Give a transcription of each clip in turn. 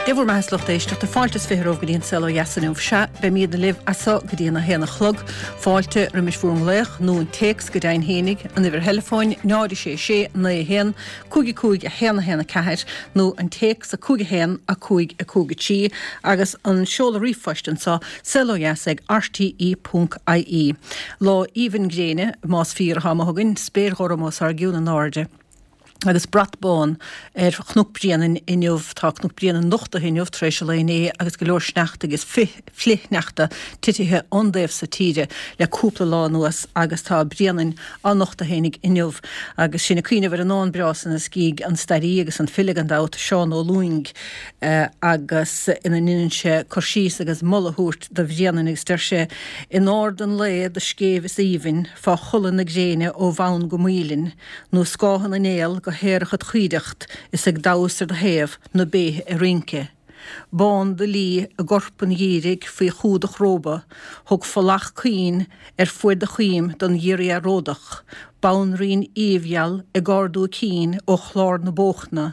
Dé bhur mbeatha a lucht éisteachta, fáilte is 20 romhaibh go dtí an Saol Ó Dheas inniu. Sea, beimídne libh as so go dtí an 1 a chlog. Fáilte roimis bhur nglaoch nó an téacs go deimhin fhéinig, an uimhir theileafóin, 0 6 6 9 1 5 5 1 1 4 nó an téacs 5 1 5 5 3 agus an seoladh ríomhphoist anso, saolodheas ag rte ponc ie. Lá aoibhinn gréine, más fíor atá amuigh againn, spéir ghorm os ár gcionn in airde. agus brat bán ar Chnoc Bréanainn inniu. Tá Cnoc Bréanainn nochtaithe inniu tar éis an lae inné agus go leor sneachta agus flichshneachta titithe ón dtaobh so tíre le cúpla lá anuas agus tá Bréanainn á nochtadh fhéinig inniu. Agus sinn ag cuimhneamh ar an ndán breá san a scrígh an stairí agus an file gan dabht, Seán Ó Lúing agus ina ndeineann sé cur síos agus moladh a thabhairt do Bhréanainn agus deir sé, In ard an lae do scéimh is aoibhinn fá chodladh na gréine ó bhonn go Maoilinn, Nó scáth na néal go haerach id chuideacht is ag damhas ar do thaobh na béithe ag rince. Bán do lí i gcorp an gheimhridh faoi chumhdach róba, thug folach caoin ar fuaid do choim don ghiorria ródach, banríon aoibhgheal ag ardú a cinn ó chlár na bóchna,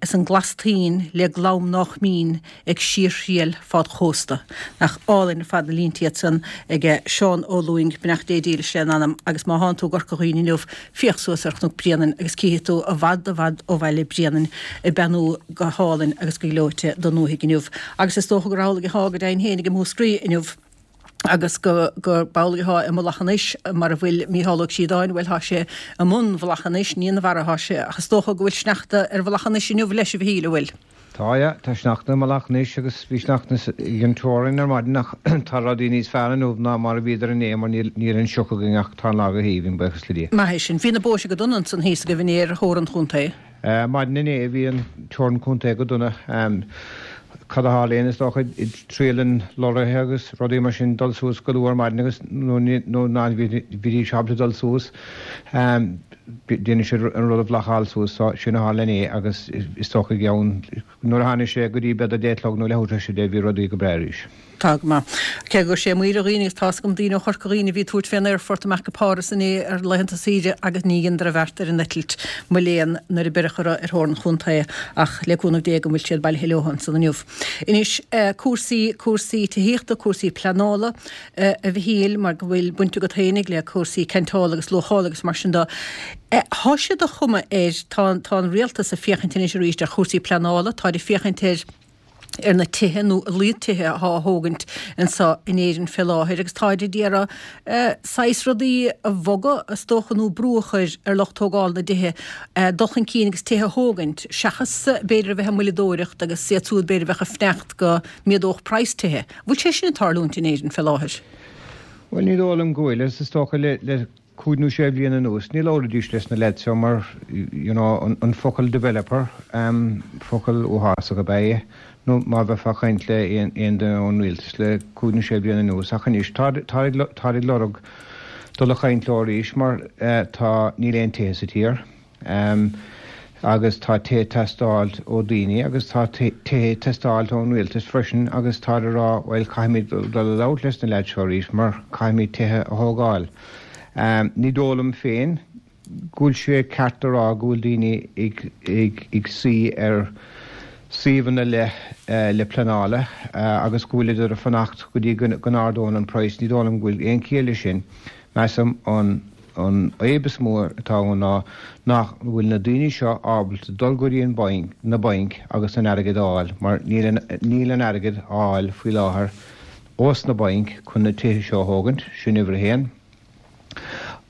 is an glas toinn le glam nách mín ag síorthriall fád chósta. Nach álainn ar fad na línte iad san ag Seán Ó Lúing, beannacht Dé dílis lena anam, agus má thánn tú i gCorca Dhuibhne inniu, féach suas ar Chnoc Bréanainn agus cífidh tú i bhfad i bhfad ó bhaile Bréanainn ag beannú go hálainn agus go gleoite don ndúthaigh inniu. Agus is dócha gur amhlaidh athá go deimhin féin i Múscraí inniu. agus go gurb amhlaidh athá i Mullach an Eich, mar a bhfuil Mícheál Ó Críodáin, bhuel, thá sé i mbun Mhullach an Eich, ní ina bharra athá sé, ach is dócha go bhfuil sneachta ar Mhullach an Eich inniu leis, a Mhichíl, an bhfuil? Tá, yeah, tá sneachta i Mullach an Eich agus bhí sneachta ag an teorainn ar maidin ach tá rudaí níos fearr inniu ná mar a bhíodar inné mar níl níl an sioc againn ach tá an lá go haoibhinn, buíochas le Dia. Maith é sin. Bhí na bóithre go dona ansan thíos agaibh inné ar theorainn chontae. Maidin inné bhí an teorainn contae go dona. Cad a tharlaíonn is dócha, triaileann lorraithe agus rudaí mar sin dul suas go luath ar maidin agus nuair ná bhídís ábalta dul suas déanann siad an rud a bhlocáil suas. So sin a tharla inné agus is dócha i gceann nuair a tháinig sé go dtí b'fhéidir 10 a chlog nó leathuair tar éis 10 bhí rudaí go breá arís. Tá go maith. Cé go raibh sé amuigh ar dhaoine agus tá's agam daoine ó Chorca Dhuibhne a bhí ag tabhairt fén aerfort amach go Páras inné ar laethanta saoire agus ní dheineadar a bheart ar an eitilt, mo léan, nuair a beireadh orthu ar thóir an chontae ach le cúnamh Dé go bhfuil siad bailithe leo ansan inniu. Anois, cúrsaí, cúrsaí tithíochta, cúrsaí pleanála, a Mhichíl, mar go bhfuil baint agat fhéinig le cúrsaí ceantála agus luachála agus mar sin de. Thá sé de chuma air, tá, tá an rialtas ag féachaint anois arís ar chúrsaí pleanála, táid ag féachaint ar, ar na tithe nó a laghad tithe athá á thógaint anso in Éirinn fé láthair agus táid ag iarraidh saghas rudaí a bhogadh is dócha nó brú a chur ar lucht tógála na dtithe dul chun cinn agus tithe a thógaint seachas b'fhéidir a bheith ag moilleadóireacht agus iad súd b'fhéidir a bheadh ag fanacht go méadódh praghas tithe. Bhfuil sé sin ag tarlúint in Éirinn fé láthair? Bhuel ní dóigh liom go bhfuil agus is dócha le cúig nó sé bhliain anuas, ní labhraídís leis na leaids seo mar, you know, an focal developer, focal uafásach ab ea é, nó má bheifeá ag caint le aon duine ón rialtas le cúig nó sé bhliain anuas. Ach anois, táid ag lorg dul a chaint leo arís mar tá, níl aon tithe sa tír. Agus tá tithe ag teastáilt ó daoine agus tá tithe ag teastáilt ón rialtas freisin agus táid ag rá bhuel caithfimid dul a labhairt leis na leaids seo arís mar caithfimid tithe a thógáil. Ní dóigh liom féin go bhfuil sé ceart a rá go bhfuil daoine ag suí ar suíomhanna le le pleanála agus go bhfuileadar ag fanacht go dtí go n-ardónn an praghas. Ní dóigh liom go bhfuil aon chiall leis sin. Measaim an An fhadhb is mó atá ann ná nach bhfuil na daoine seo ábalta dul go dtí an banc, na bainc agus an airgead a fháil mar níl an, níl an airgead á fháil faoi láthair ós na bainc chun na tithe seo a thógaint, sin uimhir a haon.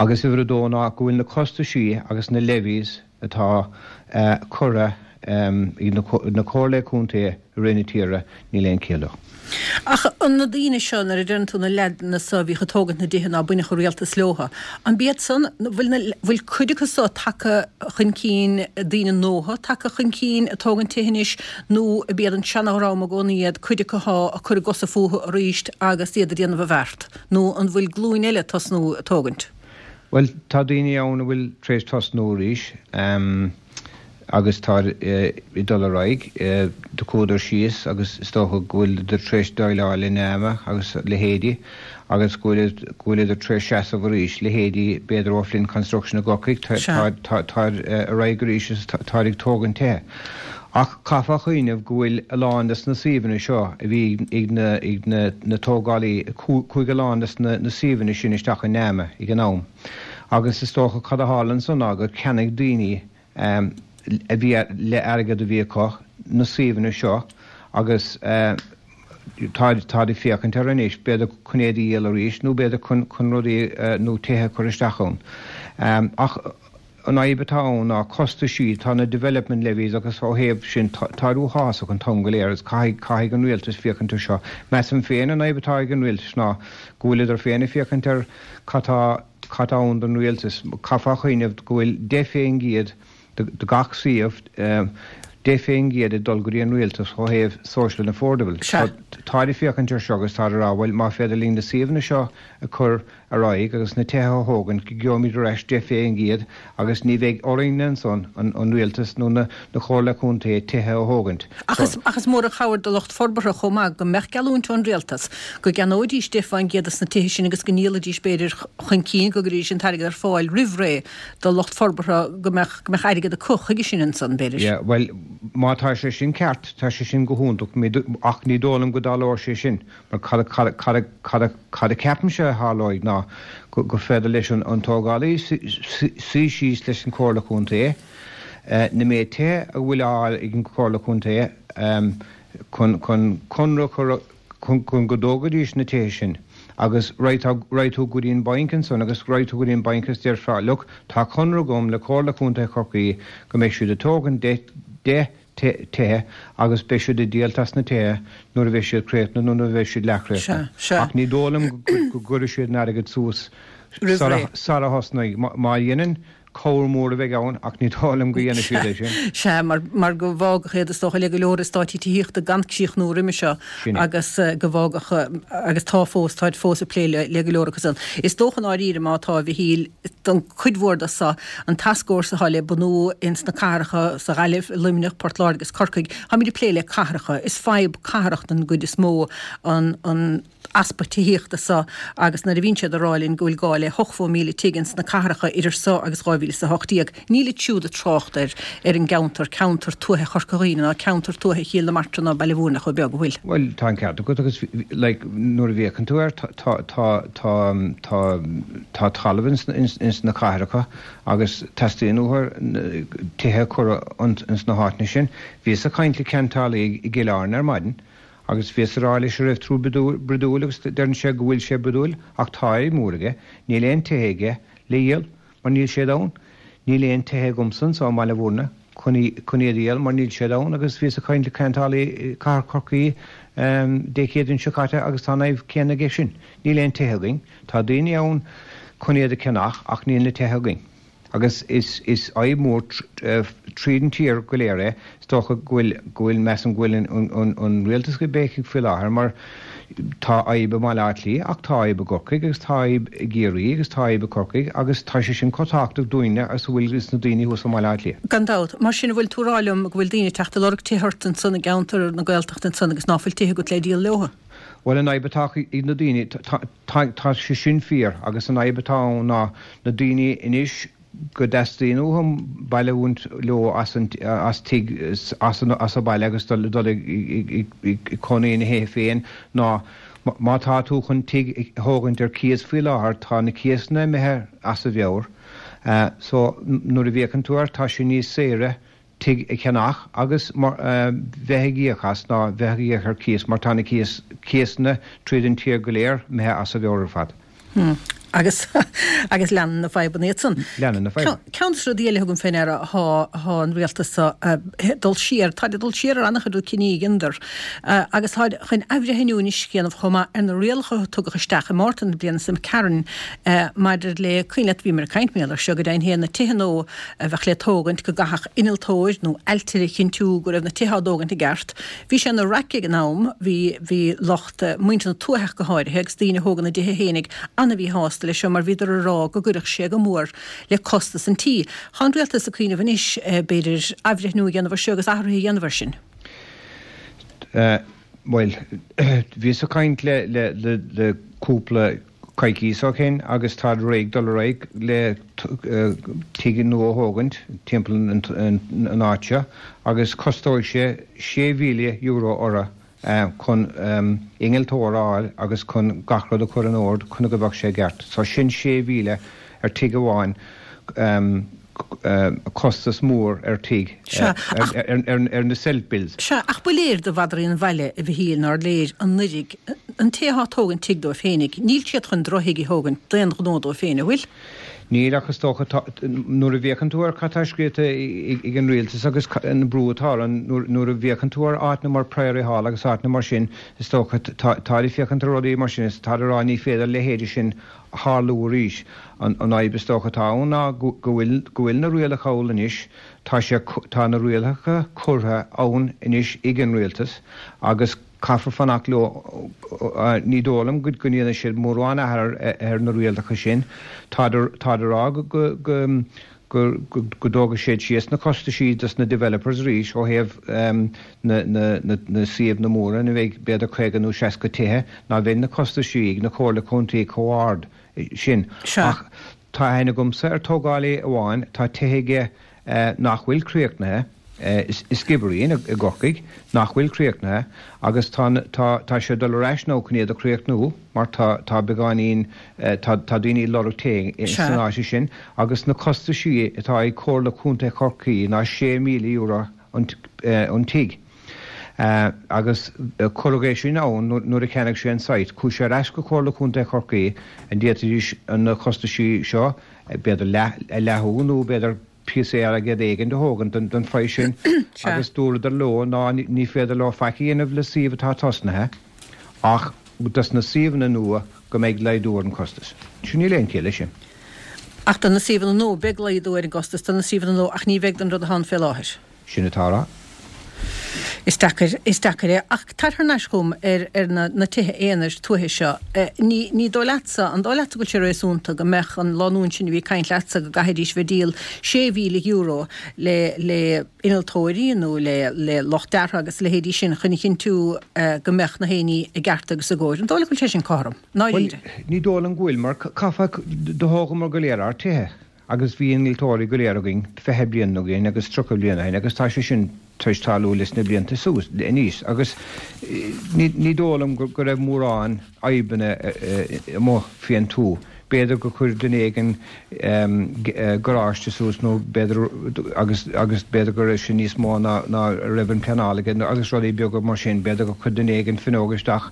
Agus uimhir a dó ná go bhfuil na costaisí agus na levies atá curtha ag na comhairlí contae i rith na tíre, níl aon chiall leo. Ach an na daoine seo, nuair a deireann tú na leaideanna so a bhíodh ag tógaint na dtithe ná bainfeadh an rialtas leotha, an b'iad san, bhfuil na, bhfuil cuid acu so tagtha chun cinn, daoine nua tagtha chun cinn ag tógaint tithe anois nó ab iad an seana-dhream i gcónaí iad, cuid acu athá ag cur a gcosa fúthu arís agus iad ag déanamh a bheart, nó an bhfuil glúin eile ag tosnú ag tógaint? Bhuel, tá daoine ann a bhfuil tar éis tosnú arís agus tá ag dul ar aghaidh. Do chuadar síos agus is dócha go bhfuileadar tar éis déileáil le NAMA agus leithéidí agus go bhfuileadar tar éis seasamh arís, leithéidí b'fhéidir O'Flynn Construction i gCorcaigh, táid ar aghaidh arís agus táid ag tógaint tithe. Ach caithfeá cuimhneamh go bhfuil a lán des na suíomhanna seo a bhí ag na ag na na tógálaí, chuaigh a lán des na na suíomhanna sin isteach i NAMA ag an am. Agus is dócha cad a tharla ansan ná gur cheannaigh daoine a bhí le airgead a bhí acu na suíomhanna seo agus táid táid ag féachaint air anois b'fhéidir chun iad a dhíol arís nó b'fhéidir chun chun rudaí nó tithe a chur isteach ann. Ach an fhadhb atá ann ná costaisí, tá na development levies agus ó thaobh sin táid uathásach an t-am go léir agus caithfidh caithfidh an rialtas féachaint ar seo. Measaim féin an fhadhb atá ag an rialtas ná go bhfuileadar féin ag féachaint ar cad tá cad tá ann don rialtas. Caithfeá cuimhneamh go bhfuil 10% de gach suíomh, 10% ag dul go dtí an rialtas ó thaobh social and affordable. Táid ag féachaint ar seo agus táid ag rá bhuel má féidir linn na suíomhanna seo a chur ar aghaidh agus na tithe a thógaint go gheobhaimid ar ais 10% agus ní bheidh orainne ansan, an rialtas nó na Comhairle Contae, tithe a thógaint. Ach is mór an chabhair do lucht forbartha chomh maith go mbeadh geallúint ón rialtas go gceannóidís 10% des na tithe sin agus go ndíolfaidís b'fhéidir chun cinn, go gcuirfidís an t-airgead ar fáil roimh ré do lucht forbartha go mbeadh go mbeadh airgead acu chuige sin ansan, b'fhéidir. Yeah, bhuel, má tá sé sin ceart, tá sé sin go hiontach, ach ní dóigh liom go dtarlóidh sé sin. Mar cad a ceapaimse a tharlóidh ná gur féidir leis an tógálaí suí síos leis an Chomhairle Contae, na méid tithe a bhfuil á fháil ag an Chomhairle Contae chun conradh a chur chun go dtógfaidís na tithe sin agus raghaidh tú go dtí an banc ansan agus raghaidh tú go dtí an banc agus déarfá look tá conradh agam le Comhairle Contae Chorcaí go mbeidh siad ag tógaint 10 tithe agus beidh siad ag díolt as na tithe nuair a bheidh siad críochnaithe nó nuair a bheidh siad leathchríochnaithe. Ach ní dóigh liom go gcuirfidh siad an airgead suas sara thosnaigh. Má dhéanann, cabhair mhór a bheidh ann ach ní dóigh liom go dhéanfaidh siad é sin. Sea, mar go bhfágfadh iad is dócha le go leor eastáití tithíochta gan críochnú roimhe seo agus go bhfágfadh, agus tá fós, táid fós ag plé le go leor acu san. Is dócha i ndáiríre má tá, a Mhichíl, don chuid mhór de so, an tascfhórsa atá le bunú ins na cathracha, sa Ghaillimh, i Luimneach, Port Láirge agus Corcaigh, táimid ag plé le cathracha. Is fadhb cathrach den gcuid is mó an an easpa tithíochta so agus nuair a bhíonn siad ag rá linn go bhfuil gá le 80,000 tigh ins na cathracha idir so agus 2018, nílid siúd ag trácht ar ar an gceantar, ceantar tuaithe Chorca Dhuibhne ná ceantar tuaithe Chill na Martra ná Baile Mhúirne chomh beag, an bhfuil? Bhuel, tá an ceart agat agus like nuair a bhféachann tú air tá tá tá tá tá tá talamh ins ins na cathracha agus teastaíonn uathu tithe a chur ins na háiteanna sin. Bhíos ag caint le ceantálaí i gCill Airne ar maidin agus bhíos ag rá leis an raibh tú brodúil agus deireann sé go bhfuil sé brodúil ach tá fadhb mór aige, níl aon tithe aige le dhíol mar níl siad ann. Níl aon tithe agamsa anso i mBaile Mhúirne chun chun iad a dhíol mar níl siad ann agus bhíos ag caint le ceantálaí i gCathair Chorcaí Dé Céadaoin seo caite agus tá an fhadhb céanna aige sin. Níl aon tithe againn. Tá daoine ann chun iad a cheannach ach níl na tithe againn. Agus is is fhadhb mhór tríd an tír go léir é. Is dócha go bhfuil go bhfuil measaim go bhfuil an an an rialtas ag béicigh faoi láthair mar tá fhadhb i mBaile Átha Cliath ach tá fhadhb i gCorcaigh agus tá fhadhb i gCiarraí agus tá fhadhb i Corcaigh agus tá sé sin chomh tábhachtach dúinne agus a bhfuil is na daoine thuas i mBaile Átha Cliath. Gan dabht. Mar sin an bhfuil tú ag rá liom go bhfuil daoine ag teacht ag lorg tithe ort ansan i gceantar na Gaeltachta ansan agus ná fuil tithe agat le díol leotha? Bhuel an fhadhb atá ag na daoine, tá sé sin fíor agus an fhadhb atá ann ná na daoine anois go dteastaíonn uathu bailiúint leo as an as tigh as an as an baile agus dul dul ag ag cónaí ina thithe féin ná má tá tú chun tigh a thógaint ar cíos faoi láthair tá na cíosanna imithe as a mheabhair so nuair a bhféachann tú air tá sé níos saoire tigh a cheannach agus bheith ag íoc as ná bheith ag íoc ar cíos mar tá na cíosanna tríd an tír go léir imithe as a mheabhair ar fad. Agus agus leanann na fadhbanna iad san. Leanann na fadhbanna. Ceann de na rudaí eile a thugaim fé ndeara thá thá an rialtas so ag dul siar, táid ag dul siar ar an-chuid rud cinní a dheineadar agus táid chun athbhreithniú anois a dhéanamh chomh maith ar na rialacha a tugadh isteach i Márta na bliana seo imigh tharainn maidir le, cuimhin leat bhíomar ag caint mar gheall air seo go deimhin féin, na tithe nua a bheadh le tógaint, go gcaithfeadh innealtóir nó ailtire a chinntiú go raibh na tithe á dtógaint i gceart. Bhí sé ina raic ag an am, bhí, bhí lucht, muintir na tuaithe ach go háirithe, agus daoine a thógann a dtithe fhéinig an-mhíshásta leis seo mar bhíodar ag rá go gcuirfeadh sé go mór le costas an tí. Tá an rialtas ag cuimhneamh anois, b'fhéidir, athbhreithniú a dhéanamh ar seo agus athruithe a dhéanamh air sin. Bhuel, bhíos ag caint le, le, le, le cúpla. Coicíos ó shin agus táid réidh dul ar aghaidh le tigh nua a thógaint timpeall an áit seo agus costóidh sé €6,000 orthu chun innealtóir a fháil agus chun gach rud a chur in ord chun go mbeadh sé i gceart. So sin 6,000 ar tigh amháin. costas mór ar tigh, ar na self builds. Sea, ach ba léir do mhadraí an bhaile, a Mhichíl, nár léir anuiridh, an té atá ag tógaint tigh dóibh féinig, níl siad chun drochthigh a thógaint d'aon ghnó dóibh féin, an bhfuil? Níl, ach is dócha, nuair a bhféachann tú ar cad tá scríofa ag an rialtas agus an brú atá orainn, nuair a bhféachann tú ar áiteanna mar Priory Hall agus áiteanna mar sin, is dócha, táid ag féachaint ar rudaí mar sin is táid ag rá ní féidir a leithéide sin tharlú arís. An fhadhb is dócha atá ann ná go bhfuil go bhfuil na rialacha ann anois, tá sé tá na rialacha curtha ann anois ag an rialtas agus caithfear fanacht leo. Ní dóigh liom go go ndéanfaidh siad mórán athrú ar na rialacha sin. Táid táid ag rá go go go go go dtógfaidh siad síos na costaisí dos na developers arís ó thaobh na na na na suíomhanna móra ina mbeidh b'fhéidir 50 nó 60 tithe, ná beidh na costaisí ag na comhairle contae chomh hard sin. Sea. Ach tá aithne agamsa ar tógálaí amháin, tá tithe aige nach bhfuil críochnaithe, i Skibbereen i gCorcaigh, nach bhfuil críochnaithe agus tá tá tá sé ag dul ar ais now chun iad a chríochnú mar tá tá beagáinín tá tá daoine ag lorg tithe san áit sin agus na costaisí atá ag Comhairle Contae Chorcaí ná €6,000 an tigh. Agus cuireadh é sin ann nuair a cheannaigh sé an site. Chuaigh sé ar ais go Comhairle Contae Chorcaí an d'fhéadfaidís na costaisí seo b'fhéidir leath a leathú nó b'fhéidir píosa airgead éigin a thógaint den phraghas sin agus dúradar leo ná ní féidir leo faic a dhéanamh le suíomh atá tosnaithe ach dos na suíomhanna nua go mbeidh laghdú ar an costas. Sin níl aon chiall leis sin. Ach do na suíomhanna nua, beidh laghdú ar an gcostas do na suíomhanna nua ach ní bheidh don rud atá ann fé láthair. Sin atá á rá. Is deacair, is deacair é. Ach tar thar n-ais chugam ar, ar na, na tithe aonair tuaithe seo. Ní, ní dóigh leatsa, an dóigh leatsa go bhfuil sé réasúnta go mbeadh an lánúin sin a bhí ag caint leatsa go gcaithfidís bheith ag díol €6,000 le, le innealtóirí nó le, le lucht deartha agus a leithéidí sin chun a chinntiú go mbeadh na haon ní i gceart agus i gcóir. An dóigh leat go bhfuil sé sin cothrom? Ndáiríre. Bhuel, ní dóigh liom go bhfuil, mar caithfear, do thógamar go léir ár tithe agus bhí innealtóirí go léir againn 20 bliain ó shin agus 30 bliain ó shin agus tá sé sin tar éis tarlú leis na blianta suas aníos agus ní dóigh liom go raibh mórán fadhbanna amuigh fén tuath. B'fhéidir gur chuir duine éigin garáiste suas nó b'fhéidir agus agus b'fhéidir go raibh sé níos mó ná ná a raibh an pleanáil aige agus rudaí beaga mar sin. B'fhéidir gur chuir duine éigin fuinneog isteach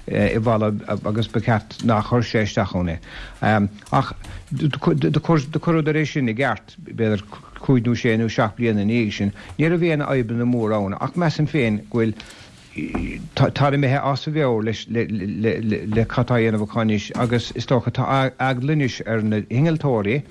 i bhfalla agus ba cheart nár chuir sé isteach ann é. Ach do cuireadar é sin i gceart, b'fhéidir cúig nó sé nó seacht bliana ina dhiaidh sin. Ní raibh aon fhadhbanna móra ann ach measaim féin go bhfuil, táid imithe as a mheabhair leis le cad tá á dhéanamh acu anois agus is dócha tá eagla anois ar na hinnealtóirí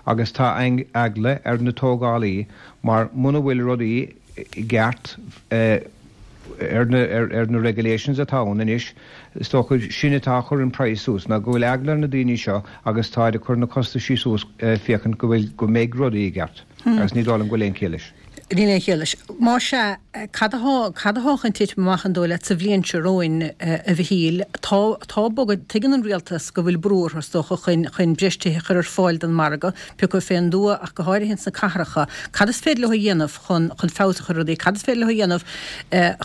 agus tá eagla ar na tógálaí mar muna bhfuil rudaí i gceart ar na ar na regulations atá ann anois, is dócha sin atá ag cur an praghas suas, ná go bhfuil eagla ar na daoine seo agus táid ag cur na costaisí suas féachaint go bhfuil go mbeidh rudaí i gceart agus ní dóigh liom go bhfuil aon chiall leis. Níl aon chiall leis. Más ea, cad atá cad atá chun titim amach an dóigh leat sa bhliain seo romhainn, a Mhichíl? Tá tá bogadh, tuigeann an rialtas go bhfuil brú orthu is dócha chun chun breis tithe a chur ar fáil don mhargadh, pé acu fén dtuath ach go háirithe ins na cathracha. Cad is féidir leo a dhéanamh chun chun feabhas a chur ar rudaí? Cad is féidir leo a dhéanamh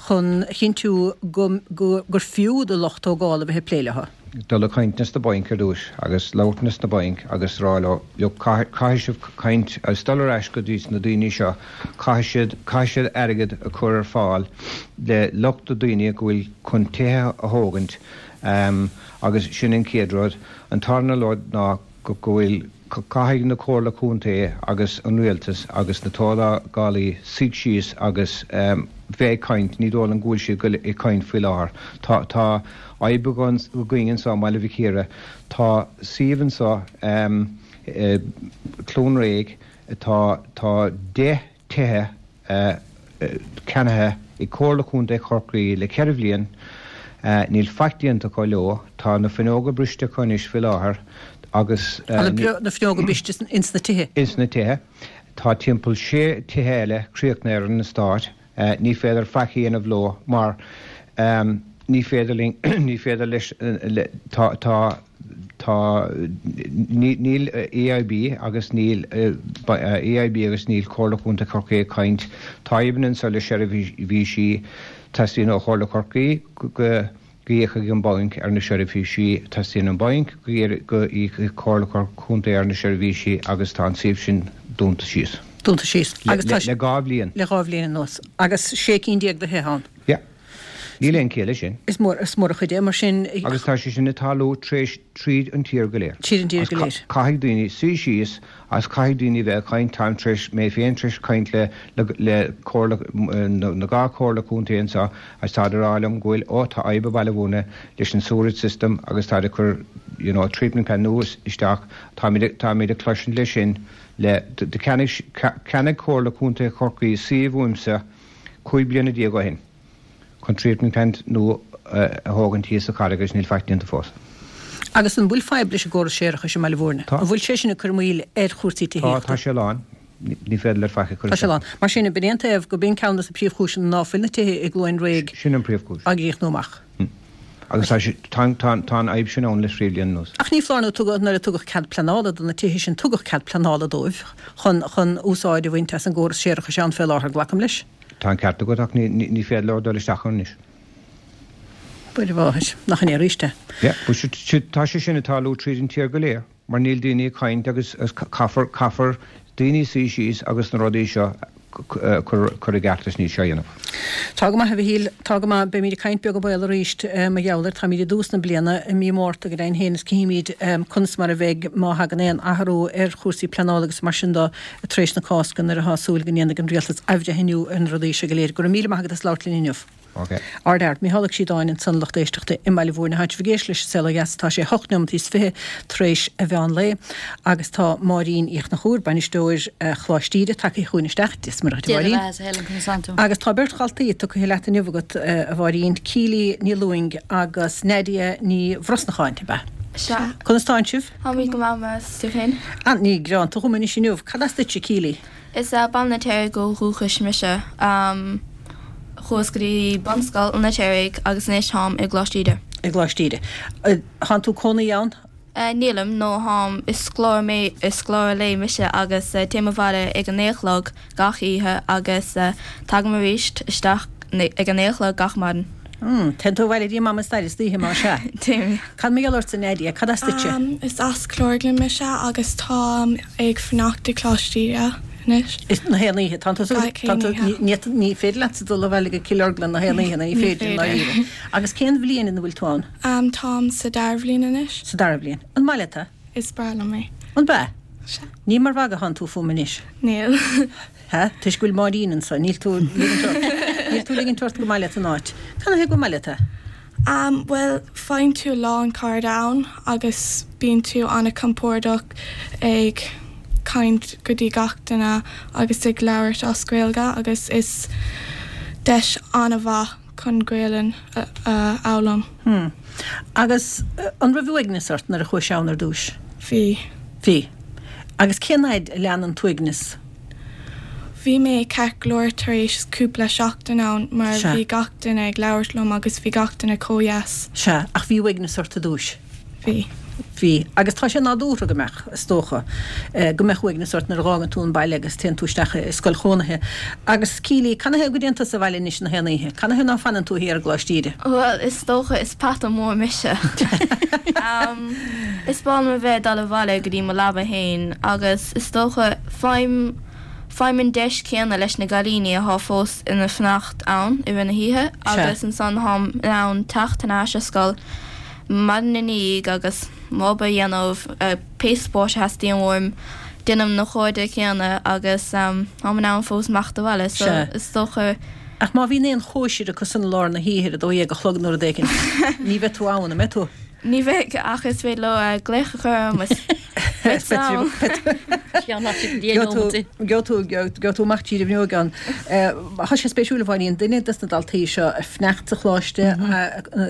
chun a chinntiú go go gur fiú do lucht tógála a bheith ag plé leo? Dul ag caint leis na bainc ar dtúis agus labhairt leis na bainc agus rá leo, look, caithfidh sibh caint agus dul ar ais go dtí na daoine seo, caithfidh siad, caithfidh siad airgead a chur ar fáil le lucht na daoine go bhfuil chun tithe a thógaint agus sin an chéad rud. An tarna rud ná go bhfuil, Caithfidh na Comhairle Contae agus an Rialtas agus na tógálaí suigh síos agus bheith ag caint, ní dóigh liom go bhfuil siad ag caint faoi láthair. Tá tá fhadhb againn anseo i mBaile Mhic Íre, tá suíomh anseo, Cluain Réidh, tá tá 10 tithe ceannaithe ag Comhairle Contae Chorcaí le ceithre bhliain. Níl faic déanta acu leo. Tá na fuinneoga briste acu anois faoi láthair agus. Tá na fuinneoga briste ins na tithe? Ins na tithe. Tá timpeall sé tithe eile críochnaithe ar an eastát. Ní féidir faic a dhéanamh leo mar ní féidir linn, ní féidir leis, tá, tá. Tá, níl AIB agus níl AIB agus níl Comhairle Chontae Chorcaí ag caint. Tá fadhbanna anseo le seirbhísí. Teastaíonn ó Chomhairle Chorcaí go íocfaidh an banc ar na seirbhísí. Teastaíonn an banc go íocfaidh Comhairle Chontae ar na seirbhísí agus tá an suíomh sin dúnta síos. Dúnta síos. Agus tá. Le 2 bhliain. Le 2 bhliain anuas. Agus 16 cinn de thithe ann. Yeah. Níl aon chiall leis sin. Is mór, is mór an chuid é, mar sin. Agus tá sé sin ag tarlú tréis, tríd an tír go léir. Tríd an tír go léir. Caithfidh daoine suí síos agus caithfidh daoine bheith ag caint, táim tréis, mé féin tréis caint le, le, le comhairle, na, na 2 comhairle contae anseo agus táid ag rá liom go bhfuil, ó tá fadhb i Baile Bhúirne leis an sewerage system agus táid ag cur, you know, treatment plant nua isteach, táimid, táimid ag cloisint leis sin le, do cheannaigh, cheannaigh Comhairle Contae Chorcaí suíomh uaimse 15 bliana ó shin chun treatment plant nua a thógaint thíos sa Charraig agus níl faic déanta fós. Agus an bhfuil fadhb leis an gcóras séarachais i mBaile Bhúirne? Tá. An bhfuil sé sin ag cur moill ar chúrsaí tithíochta? Tá, tá sé lán. Ní féidir leat faic a chur Tá sé lán. Mar sin, b'in é an taobh go b'in ceann de na príomhchúiseanna ná fuil na tithe i gCluain Réidh Sin an príomhchúis. á gcríochnú amach. Agus tá sé, tá, tá, tá an fhadhb sin ann le trí bliana anuas. Ach ní foláir nó tugadh, nuair a tugadh cead pleanála do na tithe sin, tugadh cead pleanála dóibh chun, chun úsáid a bhaint as an gcóras séarachais ann fé láthair, glacaim leis. Tá an ceart agat ach ní, ní, ní féidir leo dul isteach ann anois. Mhuire Mháthair, nach in é arís é. Yeah, but tá sé sin ag tarlú tríd an tír go léir. Mar níl daoine ag caint agus caithfear, caithfear daoine suí síos agus na rudaí seo a chur i gceart is níl sé á dhéanamh. Tá go maith, a Mhichíl, tá go maith. Beimid ag caint beag an baol arís mar gheall air. Táimid i dtús na bliana, i mí Márta go deimhin féin is cífimid conas mar a bheidh má thagann aon athrú ar chúrsaí pleanála agus mar sin de tar éis na Cásca nuair atá súil go ndéanfaidh an Rialtas athbhreithniú ar na rudaí seo go léir. Go raibh míle maith agat as labhairt linn inniu. Ok. Ard Ard. Micheál Ó Críodáin ansan lucht éisteachta i mBaile Bhúirne. Tá sibh ag éisteacht leis an Saol Ó Dheas. Tá sé 8 neomataí is 20 tar éis a mheán lae agus tá Máirín Uí Chonchúir, bainisteoir Choláiste Íde, tagtha chugainn isteach. Dia is Muire dhuit, a Dia do bheatha, a Helen, conas tánn tú? Agus tá beirt dhaltaí tugtha leat inniu agat, a Mháirín, Keely Ní Lúing agus Nadia Ní Bhrosnacháin, ab ea? Sea. Conas tánn sibh? Táimid go maith, meas tú féin? Ah, ní greanta dhom anois inniu. Cad as duitse, Keely? Is as Baile an Fheirtéaraigh ó dhúchas mise. Chuas go dtí bunscoil an Fheirtéaraigh agus anois táim i gColáiste Íde. I gColáiste Íde. Tánn tú cónaí ann? Nílim, nó táim, is scoláire mé, is scoláire lae mise agus téim abhaile ag a naoi a chlog gach oíche agus tagaim arís isteach ag a naoi a chlog gach maidin. Mm, téann tú abhaile go dtí Mam is Daid istoíche, más ea. Téim. Cad mar gheall ortsa, Nadia? Cad as duitse? Is as Cill Orglan mise agus táim ag fanacht i Coláiste Íde anois. Is na haon oíche. Tánn tú, Gach aon tánn tú, oíche. ní, ní féidir leatsa dul abhaile go Cill Orglan na haon oíche, nó ní Ní féidir, i féidir. ndáiríre. Agus cén bhliain ina bhfuil tú ann? Táim sa dara bhliain anois. Sa dara bhliain. An maith leat é? Is breá liom é. An b'ea? Sea. Ní mar mhagadh atánn tú fúm anois. Níl. Ha? Toisc go bhfuil Máirín anso, níl tú ag ligint ort, níl tú ag ligint ort gur maith leat an áit. Canathaobh gur maith leat é? Am, bhuel, faigheann tú a lán cairde ann agus bíonn tú an-compordach ag caint go dtí gach duine agus ag labhairt as Gaeilge agus is deis an-mhaith chun Gaelainn a fhoghlaim. Hmm. Agus an raibh uaigneas ort nuair a chuais ann ar dtúis? Bhí. Bhí. Agus cén fhaid a lean an t-uaigneas? Bhí mé ceart go leor tar éis cúpla seachtain ann mar Sea. bhí gach duine ag labhairt liom agus bhí gach duine chomh dheas. Sea, ach bhí uaigneas ort ar dtúis? Bhí. Bhí. Agus tá sé nádúrtha go mbeadh, is dócha, go mbeadh uaigneas ort nuair a dh'fhágann tú an baile agus téann tú isteach i scoil chónaithe. Agus, Keely, canathaobh go dtéann tusa abhaile anois na haon oíche? Canathaobh ná fanann tú thiar i gColáiste Íde? Bhuel, is dócha, is peata mór mise. Is breá liom a bheith ag dul abhaile go dtí mo leaba fhéin agus is dócha, faighim, faighim an deis céanna leis na gcailíní athá fós ina fanacht ann i rith na hoíche agus ansan tháim in ann teacht thar n-ais ar scoil maidin ina dhiaidh agus m'obair a dhéanamh, pé spórt a theastaíonn uaim, déanaim na cairde céanna agus táim in ann fós imeacht abhaile so is dócha. Ach má bhíonn aon chóisir acu san i lár na hoíche ar a 12 a chlog nó rud éigin, ní bheidh tú ann, an mbeidh tú? Ní bheidh, ach is féidir leo glaoch a chur orm is. Gheobhaidh tú amach tríd an bhfuinneog ann. Tá sé spéisiúil a Mháirín, duine des na daltaí seo ag fanacht sa choláiste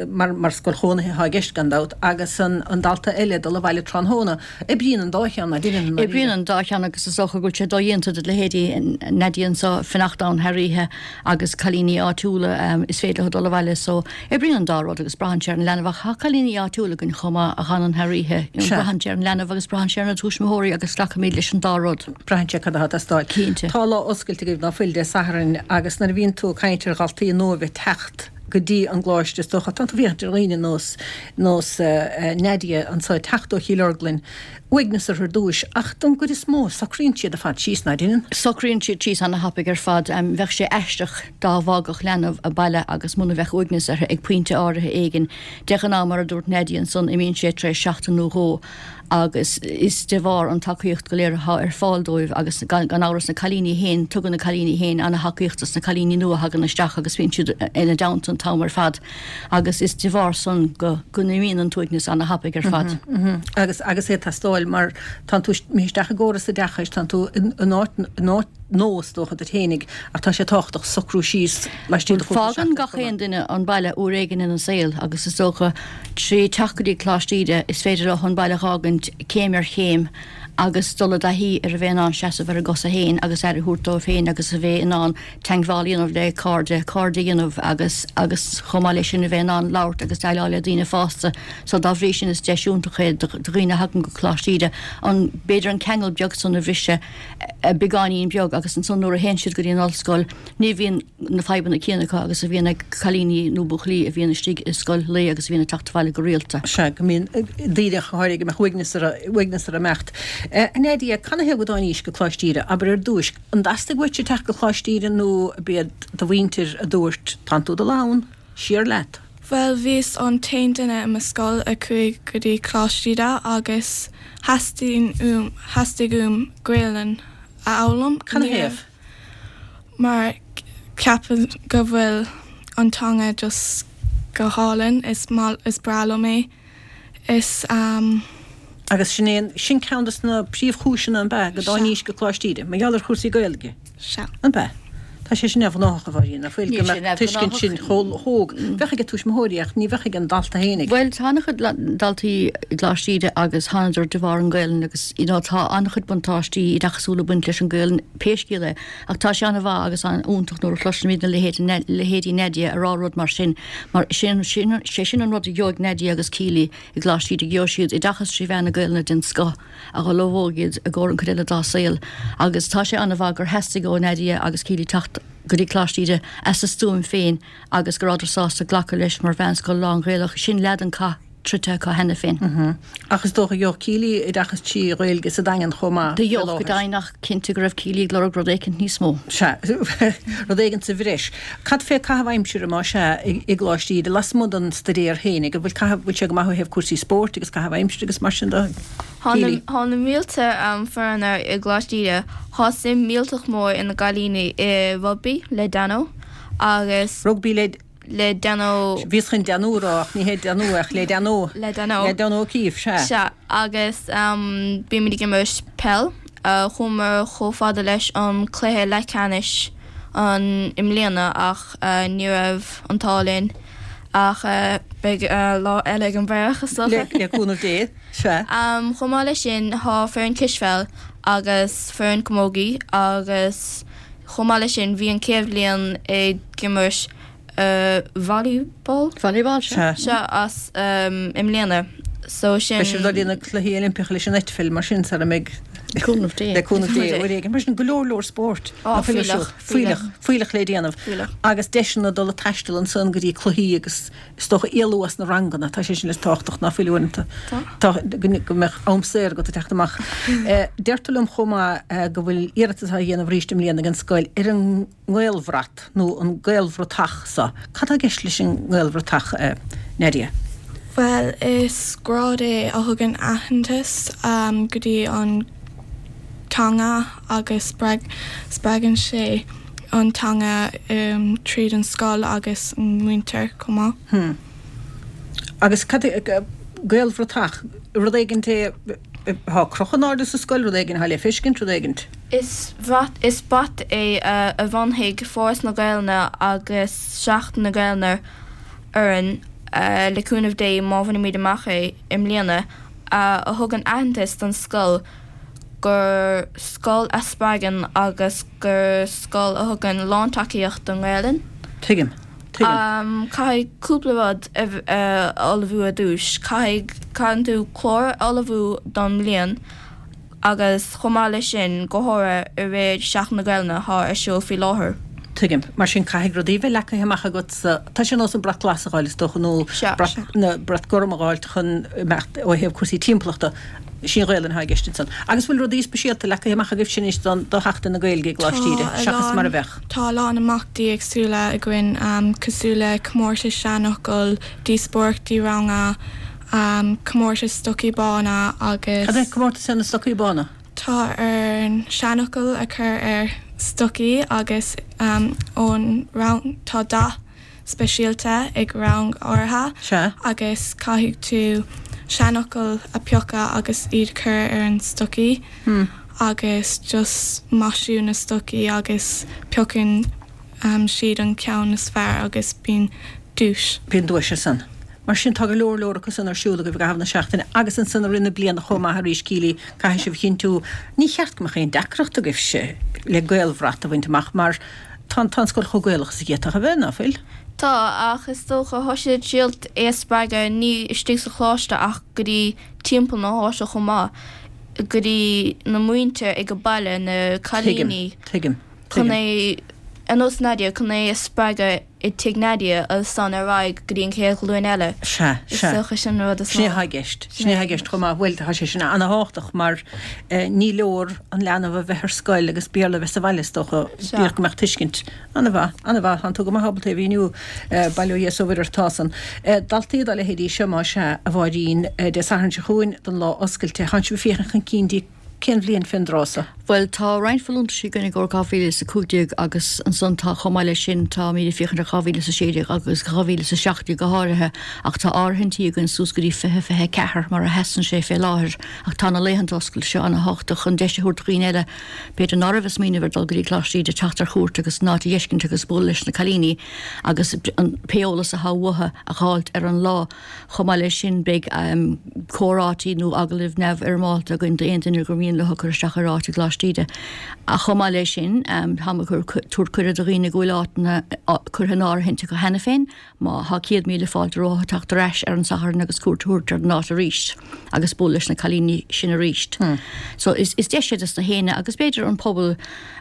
mar scoil chónaithe atá i gceist gan dabht agus an dalta eile ag dul abhaile tráthnóna. Oibríonn an dá cheann, ná deineann? Oibríonn an dá cheann agus is dócha go bhfuil sé dodhéanta do leithéidí Nadia anseo fanacht ann thar oíche agus cailíní áitiúla is féidir leo dul abhaile so oibríonn an dá rud agus braitheann sé ar an leanbh ach tá cailíní áitiúla againn chomh maith a fhanann thar oíche. Braitheann sé ar an leanbh agus braitheann sé ar na tuismitheoirí agus glacaimid leis an dá rud. Braitheann sé cad atá ag teastáil. Cinnte. Tá lá oscailte agaibh ná fuil Dé Sathairn agus nuair a bhíonn tú ag caint ar dhaltaí nua a bheith ag teacht go dtí an gcoláiste is dócha tá tú ag féachaint ar dhaoine nós nós Nadia anseo ag teacht ó Chill Orglan uaigneas orthu ar dtúis ach don gcuid is mó socraíonn siad ar fad síos, ná deineann? Socraíonn siad síos ana-thapaidh ar fad. Bheadh sé aisteach dá bhfágfadh leanbh a baile agus muna bheadh uaigneas uirthi ag pointe áirithe éigin. De ghnáth, mar a dúirt Nadia ansan, imíonn sé tar éis seachtain nó dhó agus is de bharr an tacaíocht go léir atá ar fáil dóibh agus gan amhras na cailíní féin, tugann na cailíní féin ana-thacaíocht dos na cailíní nua a thagann isteach agus bíonn siad ina dteannta an t-am ar fad agus is de bharr san go go n-imíonn an t-uaigneas ana-thapaidh ar fad. Agus agus é ag teastáil mar tánn tú imithe isteach i gcóras oideachais, tánn tú in áit in áit nua is dócha duit fhéinig ach tá sé tábhachtach socrú síos laistigh de chúpla seachtain. Fágann gach aon duine an baile uair éigin ina saol agus is dócha trí teacht go dtí Coláiste Íde is féidir leo an baile a dh'fhágaint céim ar chéim agus dul i dtaithí ar a bheith in ann seasamh ar a gcosa féin agus aire a thabhairt dóibh féin agus a bheith in ann teangmháil a dhéanamh le cairde, cairde a dhéanamh agus agus chomh maith leis sin a bheith in ann labhairt agus déileáil le daoine fásta. So dá bhrí sin is deis iontach é do dhaoine a thagann go Coláiste Íde an b'fhéidir an ceangal beag san a bhriseadh beagáinín beag agus ansan nuair a théann siad go dtí an ollscoil ní bhíonn na fadhbanna céanna acu agus a bhíonn ag cailíní nó buachaillí a bhíonn istigh i scoil lae agus a bhíonn ag teacht abhaile go rialta. Sea, go mbíonn daoine go háirithe go mbeadh uaigneas orthu, uaigneas orthu imeacht. A Nadia, canathaobh go dtáinís go Coláiste Íde? Abair ar dtúis, an dteastaigh uaitse teacht go Coláiste Íde nó ab iad do mhuintir a dúirt, tánn tú ag dul ann, siar leat? Bhuel, bhíos an t-aon duine i mo scoil a chuaigh go dtí Coláiste Íde agus theastaigh uaim, theastaigh uaim Gaelainn a fhoghlaim. Canathaobh? Mar ceapaim go bhfuil an teanga just go hálainn, is maith, is breá liom é. Is. Agus sin é, sin ceann de na príomhchúiseanna, an b'ea, go dtáinís go Coláiste Íde, mar gheall ar chúrsaí Gaeilge? Sea. An b'ea? Tá sé sin neamhghnách, a Mháirín, ná fuil, go mbeadh tuiscint sin chomh hóg. Bheadh ag tuismitheoirí ach ní bheadh ag an dalta fhéinig. Bhuel, tá an-chuid daltaí i gColáiste Íde agus thánadar de bharr an Ghaelainn agus, you know, tá an-chuid buntáistí oideachasúla ag baint leis an Ghaelainn, pé scéal é. Ach tá sé an-mhaith agus an-fhiúntach nuair a chloisimid na leithéid, leithéidí Nadia ag rá rud mar sin, mar sin, sin, sé sin an rud a gheobhaidh Nadia agus Keely i gColáiste Íde, gheobhaidh siad oideachas trí mheán na Gaelainne den scoth a dh'ullmhóidh iad i gcomhair an chuid eile dá saol. Agus tá sé an-mhaith gur theastaigh ó Nadia agus Keely teacht go dtí Coláiste Íde as a stuaim féin agus go rabhadar sásta glacadh leis mar mheánscoil lán-Ghaelach. Sin leath den chath troidte acu cheana féin. Ach is dócha gheobhadh Keely oideachas trí Ghaeilge sa Daingean chomh maith Do gheobhadh go deimhin ach cinnte go raibh Keely ag lorg rud éicint níos mó. Sea, rud éigint sa bhreis. Cad fé caitheamh aimsire más ea i gColáiste Íde lasmuigh den staidéar fhéinig? An bhfuil caitheamh, bhfuil sé go maith ó thaobh cúrsaí spóirt agus caitheamh aimsire agus mar sin de? Keely. Thá na mílte foirne i gColáiste Íde. Thá suim millteach mór ag na gcailíní i rugbaí le Danno agus. Rugbaí le. le Danno. Bhíos chun Danú a rá ach ní hé Danú ach le Danno. Le Danno. Le Danno O'Keeffe, sea. Sea, agus bímid ag imirt peil. Chuamar chomh fada leis an cluiche leathcheannais an i mbliana ach ní raibh an t-ádh linn. Ach beidh lá eile ag an bhfraoch, is dócha. Le cúnamh Dé, sea. Chomh maith leis sin, tá foireann cispheil agus foireann camogie agus chomh maith leis sin bhí an chéad bhliain ag imirt volleyball? Volleyball, sea. Sea, as i mbliana. So sin. Beidh sibh ag dul go dtí na Cluichí Oilimpeacha leis an eitpheil mar sin sara mbeidh. Le cúnamh Dé. Le cúnamh Dé, uair éigin. Mar sin, go leor leor spóirt. Á, fuílleach. Fuílleach. Fuílleach le déanamh. Fuílleach. Agus deiseanna dul ag taisteal ansan go dtí cluichí agus is dócha éalú as na ranganna. Tá sé sin is tábhachtach ná fuil uaireanta. Tá. Go mbeadh am saor agat ag teacht amach. Deirtear liom chomh maith go bhfuil iarratas á dhéanamh arís i mbliana ag an scoil ar an nGaelbhrat nó an Gaelbhratach so. Cad tá i gceist leis an nGaelbhratach, a Nadia? Bhuel, is grád é a thugann aitheantas go dtí an teanga agus spreagann sé an teanga tríd an scoil agus an muintir chomh maith. Hmm. Agus cad é, Gaelbhratach, rud éigin é. Thá crochadh in airde sa scoil, rud éigin athá le feiscint, rud éigint. Is brat is brat é a bhronnfaidh Foras na Gaelainne agus Seachtain na Gaelainne orainn, le cúnamh Dé, má bhainimid amach é i mbliana, a thugann aitheantas don scoil gur scoil a spreagann agus gur scoil a thugann lántacaíocht don nGaelainn. Tuigim. Tuigim. Caithfidh cúpla rud a ullmhú ar dtús. Caithfidh, caitheann tú clár a ullmhú don mbliain agus chomh maith leis sin, go háirithe i rith Seachtain na Gaelainne atá ar siúl faoi láthair. Tuigim. Mar sin caithfidh rudaí bheith leagtha amach agat sa, tá sé ar nós an brat glas a dh'fháil is dócha nó brat, nó brat gorm a dh'fháilt chun imeacht ó thaobh cúrsaí timpeallachta. Sí an Ghaelainn atá i gceist ansan. Agus bhfuil rudaí speisialta leagtha amach agaibhse anois don, do Sheachtain na Gaeilge i gColáiste Íde, seachas mar a bheadh? Tá a lán imeachtaí éagsúla againn cosúil le comórtais seanfhocal, díospóireachtaí ranga, comórtas stocaí bána agus. Cad é comórtas ar na stocaí bána? Tá orainn seanfhocail a chur ar stocaí agus ón rang, tá dath speisialta ag rang áirithe Sea. agus caithfidh tú seanfhocail a piocadh agus iad a chur ar an stocaí agus just maisiú na stocaí agus piocann siad an ceann is fearr agus bíonn duais. Bíonn duais ansan. Mar sin tá go leor leor acu san ar siúl agaibh i gcaitheamh na seachtaine agus ansan i rith na bliana chomh maith arís Keely, caithfidh sibh a chinntiú, ní cheart go mbeadh aon deacracht agaibhse le Gaelbhrat a bhaint amach mar tá an tá an scoil chomh Gaelach is a d'fhéadfadh a bheith, ná fuil? Tá, ach is dócha, tá siad ag triailt é a spreagadh ní istigh sa choláiste ach go dtí timpeall na háite chomh maith, go dtí na muintir ag an baile, na cailíní. Tuigim, tuigim, chun é, ar nós Nadia, chun é a spreagadh i dtigh Nadia agus ansan ar aghaidh go dtí an chéad ghlúin eile. Sea, Is sea. dócha sin an rud is Sin é atá i gceist. Sin é atá i gceist chomh maith. Bhuel, tá sé sin ana-thábhachtach mar ní leor an leanbh a bheith ar scoil agus Béarla a bheith sa bhaile, is dócha. Sea. Díreach go mbeadh tuiscint. Ana-mhaith, ana-mhaith. Tánn tú go maith ábalta é a mhíniú, bail ó Dhia is ó Mhuire ort, tá san. Daltaí dá leithéidí seo, más ea, a Mháirín, Dé Sathairn seo chugainn don lá oscailte, tánn sibh ag féachaint chun cinn dtí Cén bhliain fén dtráth so? Bhuel, tá roinnt folúntaisí againn i gcomhair 2015 agus ansan tá, chomh maith leis sin, táimid ag féachaint ar 2016 agus 2017 go háirithe ach tá áirithintí againn suas go dtí 2024 mar a sheasann sé fé láthair ach tá na laethanta oscailte seo ana-thábhachtach chun deis a thabhairt do dhaoine eile b'fhéidir ná raibh ag smaoineamh ar dul go dtí Coláiste Íde teacht ar chuairt agus an áit a dh'fheiscint agus bualadh leis na cailíní agus an pé eolas athá uathu a dh'fháilt ar an lá. Chomh maith leis sin, beidh comhráití nó agallaimh neamhfhoirmeálta againn d'aon duine gur mian leo cur isteach ar áit i gColáiste Íde. Ach chomh maith leis sin, táim ag tabhairt cuireadh do dhaoine go bhfuil áiteanna curtha in áirithint acu cheana féin, má thá 100,000 fáilte rompu teacht ar ais ar an Satharn agus cuairt a thabhairt ar an áit arís agus bualadh leis na cailíní sin arís. So is deis é dos na héinne agus b'fhéidir an pobal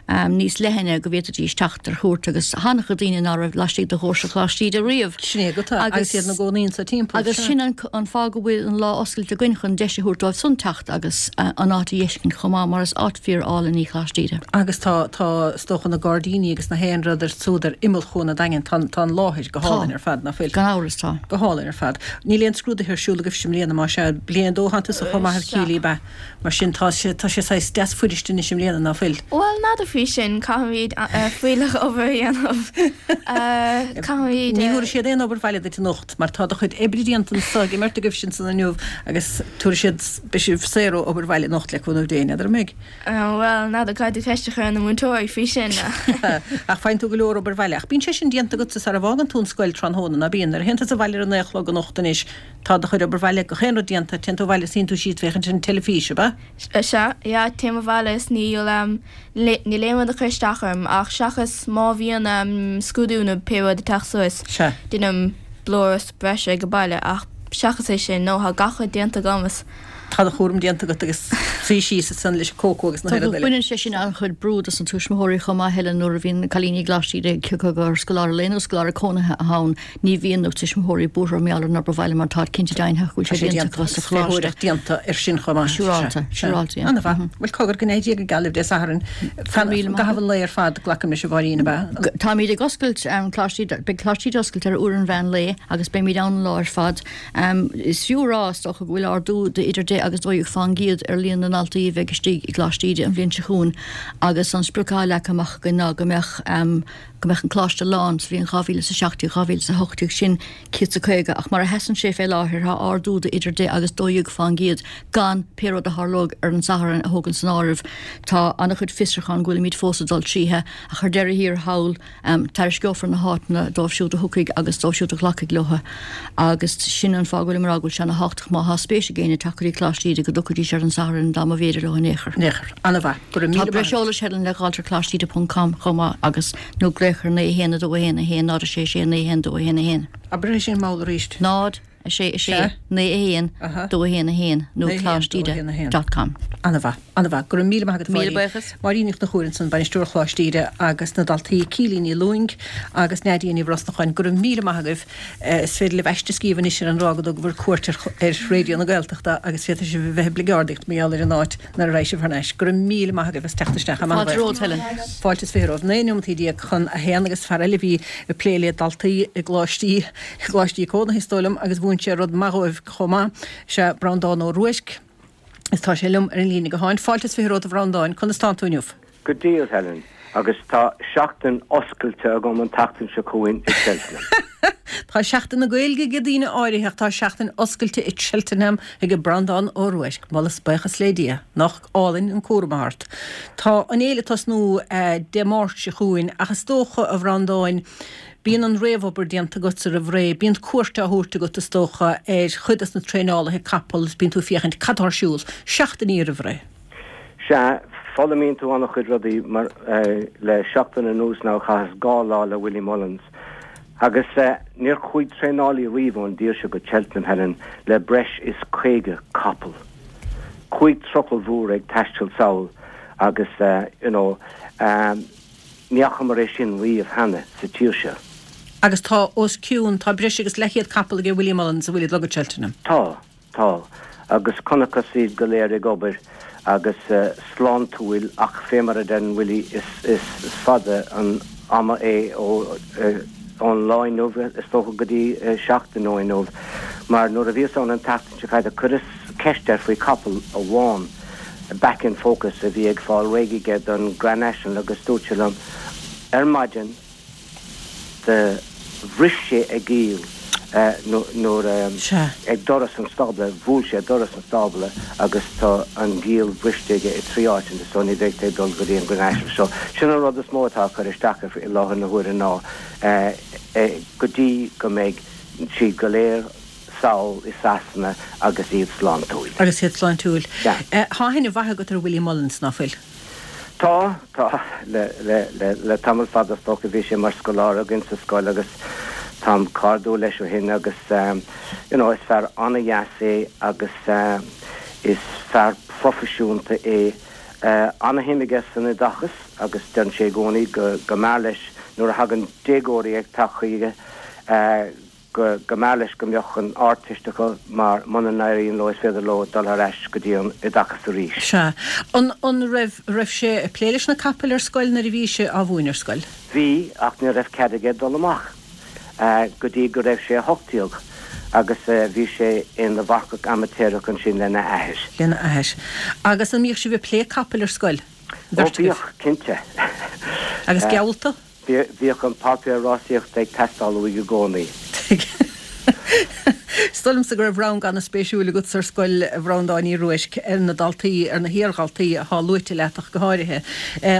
níos leithne go bhféadfaidís teacht ar chuairt agus tá an-chuid daoine ná raibh laistigh de dhoirse Choláiste Íde riamh. Sin é go tá, agus iad ina gcónaí anso timpeall. Agus sin an fáth go bhfuil an lá oscailte againn chun deis a thabhairt dóibh san teacht agus an áit a dh'fheiscint chomh maith mar is áit fíor álainn í Coláiste Íde. Agus tá, tá, is dócha na gairdíní agus na haon rud ar siúd ar imeall Chuan an Daingin, tá, tá an láthair go hálainn ar fad, ná fuil? Gan amhras tá. Go hálainn ar fad. Níl aon scrúduithe ar siúl agaibhse i mbliana, más ea? Bliain a dó thánn tusa chomh maith a Keely, ab ea? Mar sin, tá sé, tá sé saghas deas fuirist anois i mbliana, ná fuil? Bhuel, n'fheadar faoi sin, caithfimid fuílleach obair a dhéanamh. Caithfimid. Ní thabharfaidh siad aon obair bhaile duit anocht, mar tá do chuid oibre déanta anso ag an mbeirt agaibh ansan inniu agus tabharfaidh siad, beidh sibh saor ó obair bhaile anocht le cúnamh Dé, n'fheadar an mbeidh? Bhuel, n'fheadar, caithfidh tú ceist a chur ar na múinteoirí faoi sin. Ach faigheann tú go leor obair bhaile. Ach bíonn sé sin déanta agatsa sara bhfágann tú an scoil tráthnóna, ná bíonn? Nuair a théann tusa abhaile ar a naoi a chlog anocht anois, Tá do chuid obair bhaile, gach aon rud déanta, téann tú abhaile is suíonn tú síos féachaint ar an teilifís, ab ea? Sea, yeah, téim abhaile is níl, níl aon rud ag cur isteach orm ach seachas má bhíonn scrúdú nó pé rud ag teacht suas, Sea. déanaim blúire breise ag baile ach seachas é sin, no, tá gach rud déanta agam is. Tá do chúram déanta agat agus suí síos ansan leis an cócó agus na haon rud eile. Baineann sé sin an-chuid brú dos na tuismitheoirí chomh maith, Helen, nuair a bhíonn cailíní i gColáiste Íde cé acu gur scoláire lae nó scoláire cónaithe atá ann, Ní bhíonn na tuismitheoirí buartha mar gheall ar an obair bhaile mar táid cinnte deimhneach go bhfuil sé déanta acu sa choláiste. Léitheoireacht déanta ar sin chomh maith. Siúrálta, siúrálta, yeah. An-mhaith. Bhuel, cogar go n-éirí go geal libh Dé Sathairn. Fan i gcaitheamh an lae ar fad, glacaim leis a Mháirín, ab ea? Táimid ag oscailt Coláiste Íde, beidh Coláiste Íde oscailte ar uair an mheán lae agus beimid ann an lá ar fad. Is fiú a rá, is dócha, go bhfuil ardú de idir 10 agus 12 fán gcéad ar líon na ndaltaí a bheidh istigh i gColáiste Íde an bhliain seo chugainn agus an sprioc atá leagtha amach againn ná go mbeadh. go mbeadh an coláiste lán sa bhliain 2017, 2018, sin 150, ach mar a sheasann sé fé láthair tá ardú de idir 10 agus 12 fán gcéad gan pé rud a tharlóidh ar an Satharn a thógaint san áireamh. Tá an-chuid fiosrúchán go bhfuilimid fós ag dul tríothu ach ar deireadh thiar thall tairisceofar na háiteanna dóibh siúd a thiocfaidh agus dóibh siúd a ghlacfaidh leo agus sin an fáth go bhfuilim ag rá go bhfuil sé ana thábhachtach má thá spéis ag éinne teacht go dtí Coláiste Íde go dtiocfaidís ar an Satharn dá mba bhféidir leo in aon chor. In aon chor. Ana-mhaith. Go raibh míle maith agat. Tá breis eolais Helen le dh'fháilt ar coláisteíde ponc com chomh maith agus nó glaoch ar 9 1 2 1 1 0 6 6 9 1 2 1 1. Abair é sin mall arís. 0 6 6 9 1 2 1 1 nó coláisteíde dot com. Ana-mhaith. Ana-mhaith. Go raibh míle maith agat a Mháirín. Míle buíochas. Máirín Ní Chonchúir ansan, Bainisteoir Choláiste Íde agus na daltaí Keely Ní Lúing agus Nadia Ní Bhrosnacháin. Go raibh míle maith agaibh. Is féidir libh aiste a scríobh anois ar an dtráth go dtugabhair cuairt ar Raidió na Gaeltachta agus féadfaidh sibh a bheith ag bligeardaíocht mar gheall ar an áit nuair a raghaidh sibh thar n-ais. Go raibh míle maith agaibh as teacht isteach. Fáilte romhat, Helen. Fáilte is 20 romhaibh. 19 neomataí chun a haon agus fear eile a bhí ag plé le daltaí i gcoláistí, i gcoláistí cónaithe is dóigh liom agus mhúin sé rud maith dhóibh chomh maith. Sea, Breandán Ó Ruairc. Is tá sé liom ar an líne gutháin. Fáilte is 20 romhat a Bhreandáin. Conas tánn tú inniu? Go diail, Helen, agus tá seachtain oscailte agam an tseachtain seo chugainn i Cheltenham. Tá Seachtain na Gaeilge ag daoine áirithe ach tá seachtain oscailte i Cheltenham ag Breandán Ó Ruairc. Moladh is buíochas le Dia. Nach álainn an cúram atá ort. Tá an fhéile ag tosnú Dé Máirt seo chugainn ach is dócha, a Bhreandáin, bíonn an réamhobair déanta agatsa roimh ré, bíonn cuairt á thabhairt agat is dócha ar chuid des na traenálaithe capall is bíonn tú ag féachaint cad tá ar siúl seachtainí roimh ré. Sea, foghlaimíonn tú an-chuid rudaí mar le seachtain anuas now chaitheas 2 lá le Willie Mullins agus níor chuaigh traenálaí riamh ón dtír seo go Cheltenham, Helen, le breis is 50 capall. Cúig trucail mhóra ag taisteal sall agus you know ní fhacamar é sin riamh cheana sa tír seo. Agus tá os cionn, tá breis agus leathchéad capall aige Willie Mullins a bhfuil ag dul go Cheltenham. Tá. Tá, agus chonacthas iad go léir ag obair agus sláintiúil ach fé mar a deireann Willie is fada an ama é ón lá inniu is dócha go dtí seachtain ó inniu mar nuair a bhíos ann an tseachtain seo caite chuireas ceist air faoi chapall amháin Back in Focus a bhí ag fáil réidh aige don Grand National agus dúirt sé liom ar maidin Do bhris sé a ghiall nuair a, ag doras an stábla, bhuail sé doras an stábla agus tá an ghiall briste aige i dtrí áiteanna so ní bheidh sé ag dul go dtí an Grand National. So sin an rud is mó atá ag cur isteach air i láthair na huaire ná go dtí go mbeidh siad go léir sall i Sasana agus iad sláintiúil. Agus iad sláintiúil. Tá aithne mhaith agat ar Willie Mullins, ná fuil? Tá, tá. Le, le, le, le tamall fada is dócha bhí sé mar scoláire againn sa scoil agus táim cairdiúil leis ó shin agus you know is fear an-dheas é agus is fear proifisiúnta é. An-shuim aige san oideachas agus deireann sé i gcónaí go, go mb'fhearr leis nuair a thagann déagóirí ag teacht chuige go mb'fhearr leis go mbeadh an Ardteist acu mar muna n-éiríonn leo is féidir leo dul thar ais go dtí an oideachas arís. Sea. An, an raibh, raibh sé ag plé leis na capaill ar scoil nuair a bhí sé á mhúineadh ar scoil? Bhí, ach ní raibh cead aige dul amach go dtí go raibh sé 18 agus bhí sé ina mharcach amaitéarach ansin lena athair. Lena athair. Agus an mbíodh sibh ag plé capaill ar scoil? Ó bhíodh, cinnte. Agus geallta? Bhíodh an páipéar rásaíochta ag teastáil uaidh i gcónaí. Is dóigh liomsa go raibh rang ana-spéisiúil agatsa ar scoil, a Bhreandáin Uí Ruairc, ar na daltaí, ar na hiardhaltaí atá luaite leat ach go háirithe.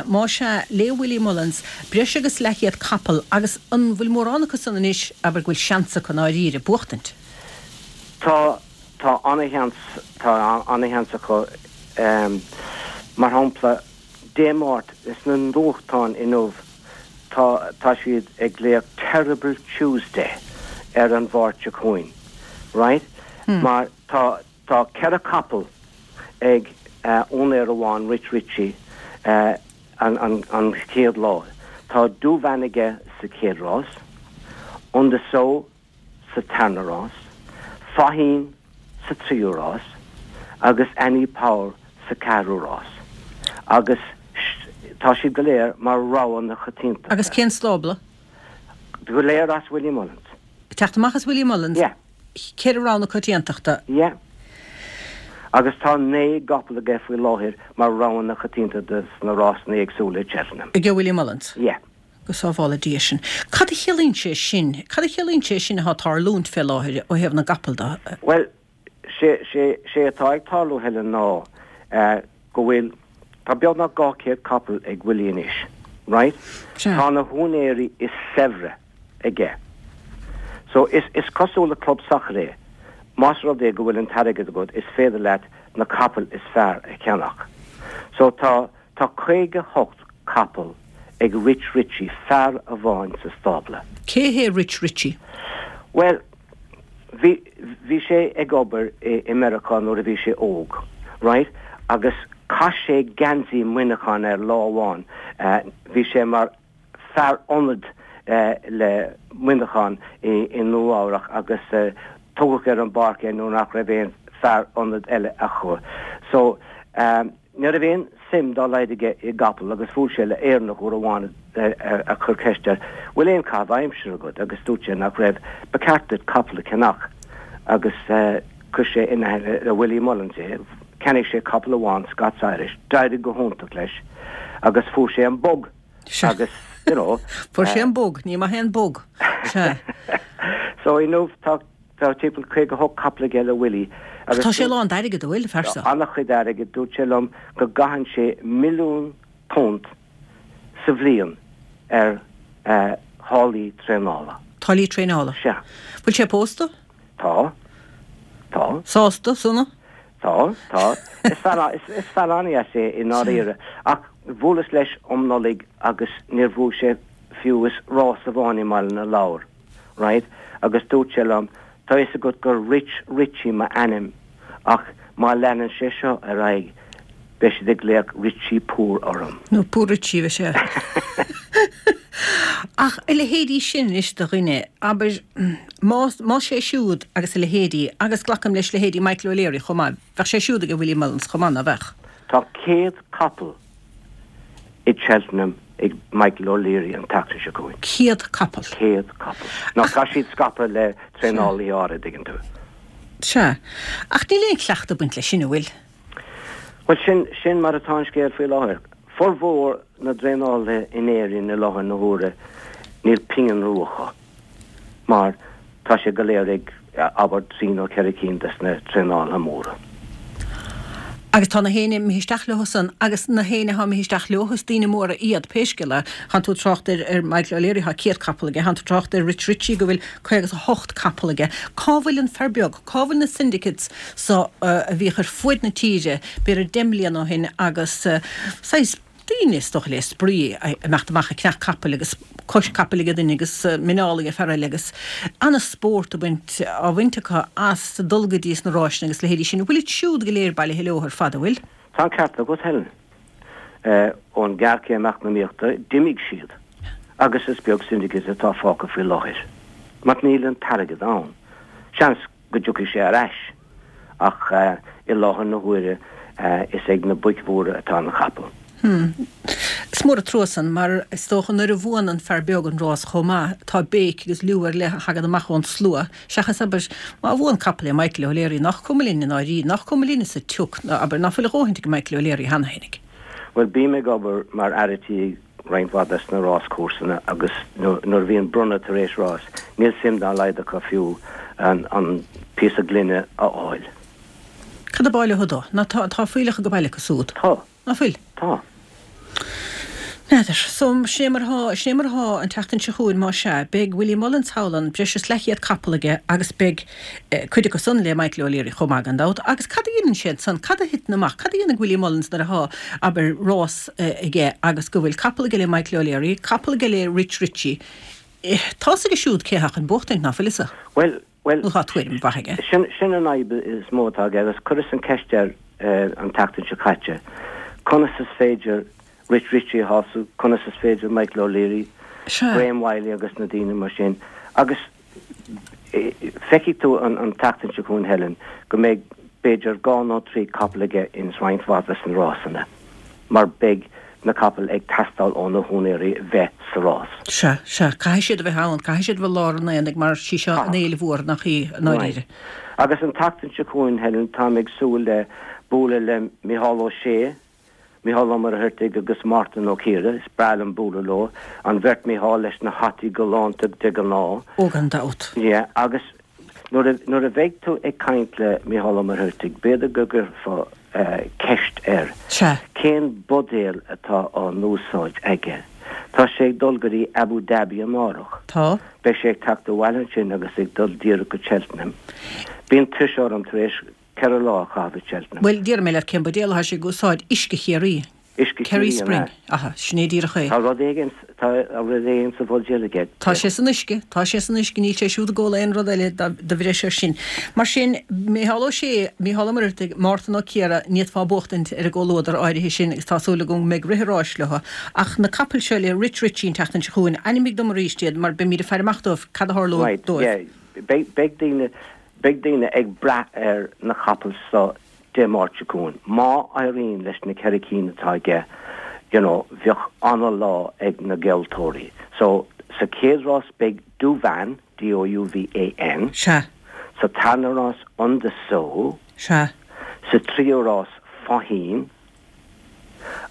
Más ea, le Willie Mullins, breis agus leathchéad capall agus an bhfuil mórán acu san anois, abair, go bhfuil seans acu i ndáiríre, buachtaint? Tá, tá ana-sheans, tá ana-sheans acu. Mar shampla, Dé Máirt, sna nuachtáin inniu tá tá siad ag glaoch Terrible Tuesday ar an Mháirt seo chugainn, right? Mar tá tá ceithre capall ag úinéir amháin, Rich Ricci, an an an chéad lá. Tá Douvan aige sa chéad rás, Un de Sceaux sa tarna rás, Faugheen sa tríú rás agus Annie Power sa ceathrú rás agus tá siad go léir mar rogha na coitiantachta. Agus cén stábla? Go léir as Willie Mullins. Ag teacht amach as Willie Mullins? Yeah. Ceithre rogha na coitiantachta? Yeah. Agus tá 9 gcapall aige faoi láthair mar rogha na coitiantachta sna rásanna éagsúla i Cheltenham. Ag Willie Mullins? Yeah. Go sábhála Dia sinn. Cad a chiallaíonn sé sin? Cad a chiallaíonn sé sin atá ag tarlúint fé láthair ó thaobh na gcapall de? Bhuel, sé, sé, sé atá ag tarlú, Helen, ná go bhfuil, tá beagnach 200 capall ag Willie anois, right? Sea. Tá na húinéirí is saibhre aige. So, is, is cosúil le club sacair é, más rud é go bhfuil an t-airgead agat, is féidir leat na capaill is fearr a cheannach. So, tá, tá 58 capall ag Rich Ricci, fear amháin sa stábla. Cé hé Rich Ricci? Bhuel, bhí, bhí sé ag obair i, i Meiriceá nuair a bhí sé óg, right, agus chaith sé geansaí Muineacháin air lá amháin, bhí sé mar fear ionaid le Muineachán i, i Nua Eabhrach agus tugadh ar an bpáirc é nuair nach raibh aon fear ionaid eile acu. So, Ní raibh aon suim dá laghad aige i gcapall agus bhuail sé le Éireannach uair amháin a chuir ceist air, 'Bhfuil aon chaitheamh aimsire agat? agus dúirt sé nach raibh. 'Ba cheart duit capall a cheannach. Agus chuir sé in aithne le Willie Mullins é. Cheannaigh sé capall amháin, Scots Irish. D'éirigh go hiontach leis agus fuair sé an bug agus, you know. Fuair sé an bug, ní maith é an bug. Sea. So inniu tá. Tá timpeall 58 capall aige le Willie agus. Tá sé lán d'airgead, an bhfuil, an fear seo? Tá an-chuid airgid. Dúirt sé liom go gcaitheann sé £1,000,000 sa bhliain ar tháillí traenála. Táillí traenála? Sea. Bhfuil sé pósta? Tá. Tá. Sásta? Sona? Tá, tá. Is fear, is fear an-deas é i ndáiríre. Ach bhuaileas leis um Nollaig agus níor bhuaigh sé fiú is rás amháin i mBaile na Lobhar. right? Agus dúirt sé liom, tá fhios agat gur Rich Ricci m'ainm ach má leanann sé seo ar aghaidh beidh siad ag glaoch Richie Poor orm. Nó Poor Richie, bheadh sé. Ach a leithéidí sin anois de dhuine, abair, más, más sé siúd agus a leithéidí, agus glacaim leis leithéidí Michael O'Leary chomh maith, bheadh sé siúd ag Willie Mullins chomh maith, ná beadh? Tá 100 capall i Cheltenham ag Michael O'Leary an tseachtain seo chugainn. 100 capall. 100 capall. Now tá siad scaipthe le traenálaithe áirid, tuigeann tú. Sea. Ach níl aon chleachtadh ag baint leis sin, an bhfuil? Bhuel, sin, sin mar atá an scéal faoi láthair. Formhór na dtraenálaithe in Éirinn i láthair na huaire, níl pingin rua acu. Mar tá sé go léir ag, abair, trí nó ceithre cinn des na traenálaithe móra. Agus tá na héinne imithe isteach leo san, agus na héinne atá imithe isteach leo, is daoine móra iad, pé scéal é. Tánn tú ag trácht ar, ar Michael O'Leary, tá 100 capall aige, tánn tú ag trácht ar Rich Ricci go bhfuil 58 capall aige. Cá bhfuil an fear beag? Cá bhfuil na syndicates so a bhíodh ar fuaid na tíre b'fhéidir 10 mbliana ó shin agus saghas, daoine, is dócha, le spraoi, ag imeacht amach ag ceannach capaill agus cois capaill ag duine agus muineál ag fear eile agus ana-spórt a bhaint, á bhaint acu as dul go dtí sna ráiseanna agus leithéidí sin. Bhfuil iad siúd go léir bailithe leo ar fad, an bhfuil? Tá an ceart agat, Helen. Ón ghéarchéim eacnamaíochta, d'imigh siad agus is beag syndicate atá fágtha faoi láthair mar níl an t-airgead ann. Seans go dtiocfaidh sé ar ais, ach i láthair na huaire is ag na boic mhóra atá na capaill. Hmm. Is mór an trua san, mar is dócha nuair a bhuann an fear beag an rás chomh maith, tá béic agus liú ar leith a thagann amach ón slua, seachas, abair, má bhuann capall le Michael O'Leary, nach cuma linn i ndáiríre, nach cuma linn sa tsioc, abair, ná fuil a dhóthaint ag Michael O'Leary cheana fhéinig. Bhuel, bím ag obair mar fhear a' tí roinnt mhaith des na ráschúrsanna agus nuair a bhíonn bronnadh tar éis rás, níl suim dá laghad acu fiú an píosa gloine a fháil. Cad ab áil leo dó? Ná tá, tá fuílleach ag baile acu súd. Tá. Ná fuil? Tá. N'fheadar. So, sin é mar atá, sin é mar atá an tseachtain seo chugainn, más ea. Beidh Willie Mullins thall ann, breis is leathchéad capall aige agus beidh cuid acu san le Michael O'Leary chomh maith gan dabht. Agus cad a dhéanann sé ansan? Cad a thiteann amach? Cad a dhéanann Willie Mullins nuair atá, abair, rás aige agus go bhfuil capall aige le Michael O'Leary, capall aige le Rich Ricci. Tá's aige siúd cé atá chun buachtaint, ná fuil fhios? Bhuel, bhuel, Nó tá tuairim mhaith aige. sin, sin an fhadhb is mó atá aige agus chuireas an ceist air an tseachtain seo caite, conas is féidir Rich Ricci a shású, conas is féidir Michael O'Leary, Sea. Graham Wylie agus na daoine mar sin agus Feicfidh tú an tseachtain seo chugainn, Helen, go mbeidh b'fhéidir dhá nó trí capall aige ins roinnt mhaith des na rásanna, mar beidh na capaill ag teastáil ó na húinéirí bheith sa rás. Sea, sea, caithfidh siad a bheith ann, caithfidh siad a bheith i lár an aonaigh mar sí seo an fhéile mhór, nach í, i ndáiríre. Right. Agus an tseachtain seo chugainn, Helen, táim ag súil le bualadh le Micheál Ó Sé. Micheál Ó Muircheartaigh agus Mártan Ó Ciardha, is breá liom bualadh leo, an bheirt Micheál leis na hataí galánta de ghnáth. Ó gan dabht. Yeah, agus nuair a, nuair a bheidh tú ag caint le Micheál Ó Muircheartaigh, b'fhéidir go gcuirfeá ceist air, Sea. cén buidéal atá á n-úsáid aige? Tá sé ag dul go dtí Abu Dhabi amárach. Tá. Beidh sé ag teacht abhaile ansin agus ag dul díreach go Cheltenham. Bíonn tuirse orm tar éis 4 lá a chaitheamh i Cheltenham. Bhuel, déarfaidh mé leat cén buidéal atá sé ag úsáid, uisce Chiarraí. Uisce Kerry Chiarraí, an Spring. ea? Aha, sin é díreach é. Tá rud éigin, tá rud éigin sa bhuidéal aige. Tá sé san uisce, tá sé san uisce, níl sé siúd ag ól aon rud eile de bhreis air sin. Mar sin, Micheál Ó Sé, Micheál Ó Muircheartaigh, Mártan Ó Ciardha, ní fhéadfá buachtaint ar an gcomhluadar áirithe sin agus tá súil agam go mbeidh rith an ráis leo. Ach na capaill seo le Rich Ricci an tseachtain seo chugainn, ainmnigh dom arís iad mar beimid ag faire amach dóibh, cad a tharlóidh Right, dóibh. yeah. Beidh, beidh daoine, Beidh daoine ag brath ar na capaill so Dé Máirt seo chugainn. Má éiríonn leis na 4 cinn atá aige, you know, bheadh ana-lá ag na gealltóirí. So, sa chéad rás beidh Douvan, D-O-U-V-A-N. Sea. Sa tarna rás Un de Sceaux. Sea. Sa tríú rás Faugheen.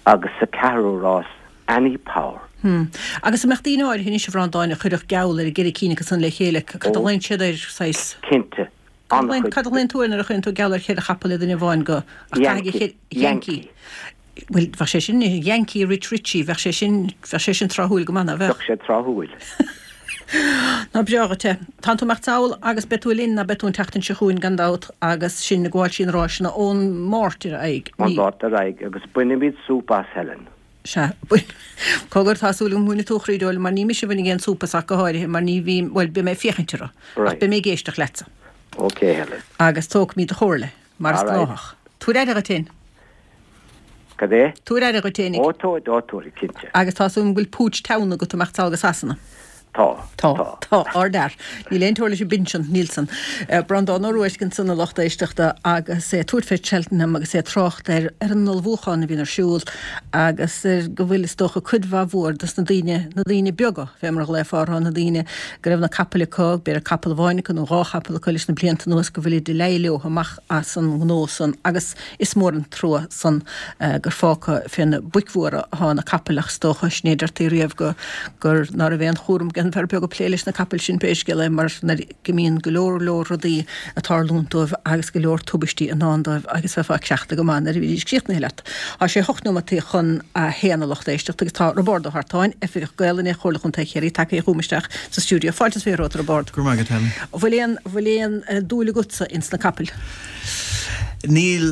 Agus sa ceathrú rás Annie Power. Hm. Agus an mbeadh daoine áirithe anois, a Bhreandáin, a chuirfeadh geall ar an gceithre cinn acu san le chéile, cad a ghlaonn siad air, saghas? Cinnte. An-chuid. Cad a ghlaonn tú air nuair a chuireann tú geall ar cheithre chapall le duine amháin go, ach caithfidh Yankee. Yankee. Bhuel, bheadh sé sin, Yankee Rich Ricci, bheadh sé sin, bheadh sé sin tráthúil go maith, ná bheadh? Bheadh sé tráthúil. Ná breá dhuit é. Tánn tú imeacht sall agus beidh tú linn, ná beidh tú an tseachtain seo chugainn gan dabht agus sinn ag gabháil trí na ráiseanna ón Máirt ar aghaidh. Ón Mháirt ar aghaidh agus bainfimid súp as, Helen. Sea. Bhuel, cogar, tá súil agam go mbainfidh tú a chroí Dóil mar ní mise a bhainfidh aon súp as ach go háirithe mar ní bhím, bhuel, beidh mé ag féachaint orthu. Ach beidh mé ag éisteacht leatsa. Ok, Helen. Agus tógfaimid do chomhairle, mar is gnáthach. Tabhair aire duit fhéin. Cad é? Tabhair aire duit fhéinig. Ó, tabhair, ó, tabhair, cinnte. Agus tá súil agam go bhfuil púits teann agat imeacht sall go Sasana. Tá. Tá. Tá. Ardfhear. Níl aon teora leis an bpinsean, níl san. Breandán Ó Ruairc ansan a lucht éisteachta agus é ag tabhairt fé Cheltenham agus é ag trácht ar ar an ullmhúchán a bhíonn ar siúl agus ar go bhfuil is dócha cuid mhaith mhór dos na daoine, na daoine beaga fé mar a ghlaofá orthu, na daoine go raibh na capaill acu, b'fhéidir capall amháin acu nó dhá chapall acu leis na blianta anuas go bhfuilid ag leí leo amach as an ngnó san agus Is mór an trua san gur fágtha fé na boic mhóra athá na capaill ach is dócha, sin é a deirtí riamh go gur ná raibh aon chúram ag an bhfear beag ag plé leis na capaill sin pé scéal é mar nuair go mbíonn go leor leor rudaí ag tarlúint dóibh agus go leor tubaistí i ndán dóibh agus bheifeá cleachta go maith nuair a bhídís críochnaithe leat. Tá sé hocht neomataí chun a haon a lucht éisteachta agus tá Roibeárd Ó hArtáin, Oifigeach Gaelainne Chomhairle Chontae Chiarraí tagtha chugam isteach sa stiúideo. Fáilte is romhat a Roibeárd. Go raibh maith agat Helen. Bhfuil aon bhfuil aon dúil agatsa ins na capaill? Níl,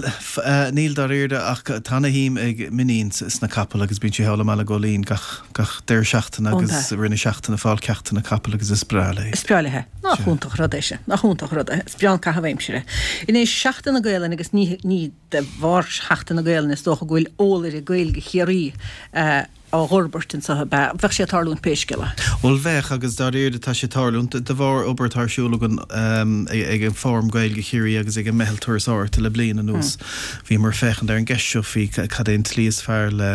níl dáiríre, ach tá ana-shuim ag m'iníon sna capaill agus bíonn sí thall i mBaile Ghóilín gach, gach deireadh seachtaine agus i rith na seachtaine ag fáil ceachtanna capaill agus is breá léi. Is breá léi. Nach iontach rud é sin, nach iontach rud é. Is breá an caitheamh aimsire. Anois, Seachtain na Gaelainne agus ní, ní de bharr Sheachtain na Gaelainne is dócha go bhfuil eolaire Gaeilge Chiarraí á fhorbairt anseo, ab ea? Bheadh sé ag tarlúint pé scéal é. Bhuel, bheadh, agus dáiríre tá sé ag tarlúint, de bharr obair atá ar siúl againn ag an Fóram Gaeilge Chiarraí agus ag an Meitheal Turasóireachta le bliain anuas. Bhíomar ag féachaint ar an gceist seo faoi cad é an tslí is fearr le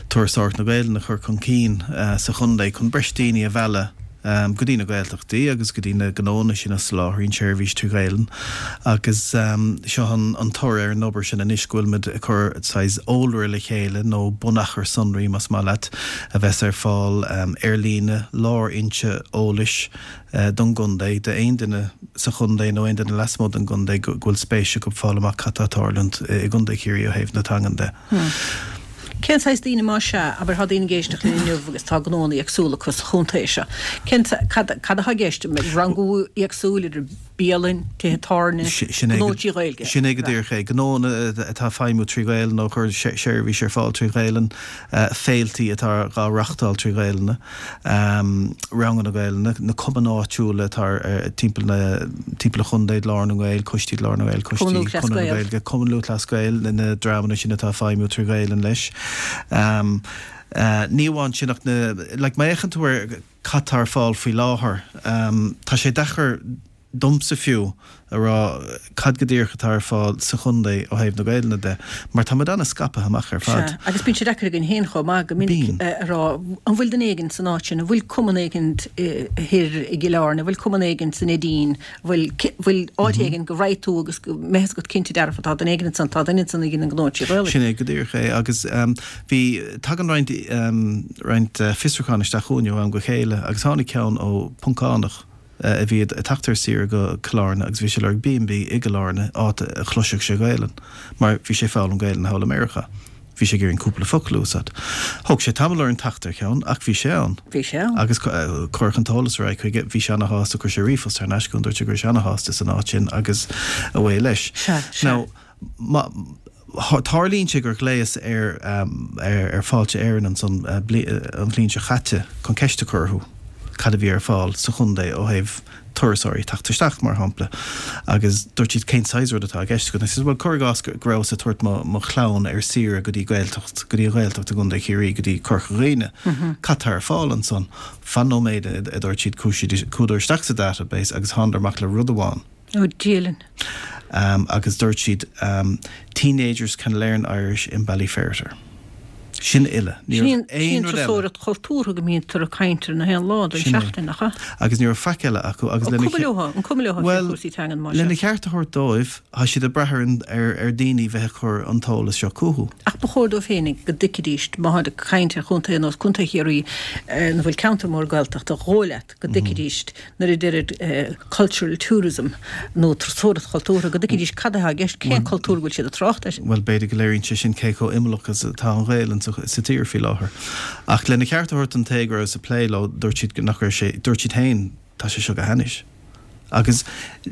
turasóireacht na Gaelainne a chur chun cinn sa chontae chun breis daoine a mhealladh go dtí na Gaeltachtaí agus go dtí na gnónna sin a soláthraíonn seirbhís trí Ghaelainn agus seo an toradh ar an obair sin anois go bhfuilimid ag cur saghas eolaire le chéile nó bunachar sonraí más maith leat a bheas ar fáil ar líne, lárfhoinse eolais don gcontae, d'aon duine sa chontae nó aon duine lasmuigh den gcontae go bhfuil spéis acu fáil amach cad tá ag tarlúint i gContae Chiarraí ó thaobh na teangan de. Cén saghas daoine más ea, abair, tá daoine ag éisteacht linn inniu agus tá gnónna éagsúla acu sa chontae seo. Cén, cad, cad atá i gceist? Rangú éagsúil idir bialainn, tithe tábhairne, gnó trí Ghaeilge? Sin é go díreach é. Gnónna atá ag feidhmiú trí Ghaelainn nó ag cur seirbhís ar fáil trí Ghaelainn, féiltí atá dhá reachtáil trí Ghaelainn. Ranganna Gaelainne, na cumainn áitiúla atá timpeall na, timpeall an chontae, Glór na nGael, coistí Ghlór na nGael, coistí Conradh na Gaeilge, Cumann Lúthchleas Gael, na dreamanna sin atá ag feidhmiú trí Ghaelainn leis. Ní amháin sin ach na, like má fhéachann tú ar cad tá ar fáil faoi láthair, tá sé deacair. domsa fiú, a rá cad go díreach atá ar fáil sa chontae ó thaobh na Gaelainne de, mar tá muid an-scaipthe amach ar fad. Sea, agus bíonn sé deacair againn féin chomh maith go minic a rá an bhfuil duine éigin san áit sin, an bhfuil cumann éigin thoir i gCill Airne, an bhfuil cumann éigin san Neidín, an bhfuil, bhfuil áit éigin go raghaidh tú agus go mbeidh fhios agat cinnte dearfa tá duine éigin ansan, tá duine ansan a dhéanann gnó trí Ghaelainn. Sin é go díreach é agus bhí, tagann roinnt, roinnt fiosrúchán isteach chugainn ó am go chéile agus tháinig ceann ó Phoncánach, a bhí ag teacht ar saoire go Cill Airne agus bhí sé ag lorg B&B i gCill Airne, áit a chloisfeadh sé Gaelainn, mar bhí sé ag foghlaim Gaelainne thall i Meiriceá. Bhí sé ag iarraidh cúpla focal a úsáid. Thóg sé tamall orainn teacht ar cheann, ach bhí sé ann. Bhí sé ann. Agus cuireadh an t-eolas ar aghaidh chuige. Bhí sé ana-shásta, chuir sé ríomhphost thar n-ais chugainn, dúirt sé go raibh sé ana-shásta san áit sin agus away leis. Sea, sea. Now, má, tarlaíonn sé gur ghlaos ar, ar Fáilte Éireann ansan an bhliain seo chaite chun ceist a chur orthu cad a bhí ar fáil sa chontae ó thaobh turasóirí teacht isteach, mar shampla, agus dúirt siad cén saghas rud atá i gceist agat? And I said, bhuel, cuir i gcás go rabhas ag tabhairt mo, mo chlann ar saoire go dtí Gaeltacht, go dtí an Ghaeltacht i gContae Chiarraí, go dtí Corca Dhuibhne, cad tá ar fáil ansan? Fan nóiméad, a dúirt siad, chuaigh siad, chuadar isteach sa database agus thánadar amach le rud amháin. Ó, Dia linn. Agus dúirt siad, Teenagers can learn Irish in Ballyferriter. Sin uile. Ní raibh aon rud eile. Sin turasóireacht chultúrtha go mbítear ag caint air na haon lá den seachtain, nach ea? Agus ní raibh faic eile acu. Agus lena. Cuma leo, an cuma leo faoi chúrsaí teangan mar sin? Lena cheart a thabhairt dóibh, tá siad ag brath ar daoine bheith ag cur an t-eolas seo chucu. Ach ba chóir dóibh féinig go dtuigfidís, má tháid ag caint ar chontae ar nós Contae Chiarraí, ina bhfuil ceantar mór Gaeltachta, dhóigh leat go dtuigfidís nuair a deirid cultural tourism nó turasóireacht chultúrtha, go dtuigfidís cad atá i gceist, cén cultúr go bhfuil siad ag trácht air. Bhuel, b'fhéidir go léiríonn sé sin cé chomh imeallach is atá an Ghaelainn sa tír faoi láthair. Ach lena cheart a thabhairt don té go rabhas ag plé leo, dúirt siad nach raibh sé, dúirt siad féin, tá sé seo go hainnis. Agus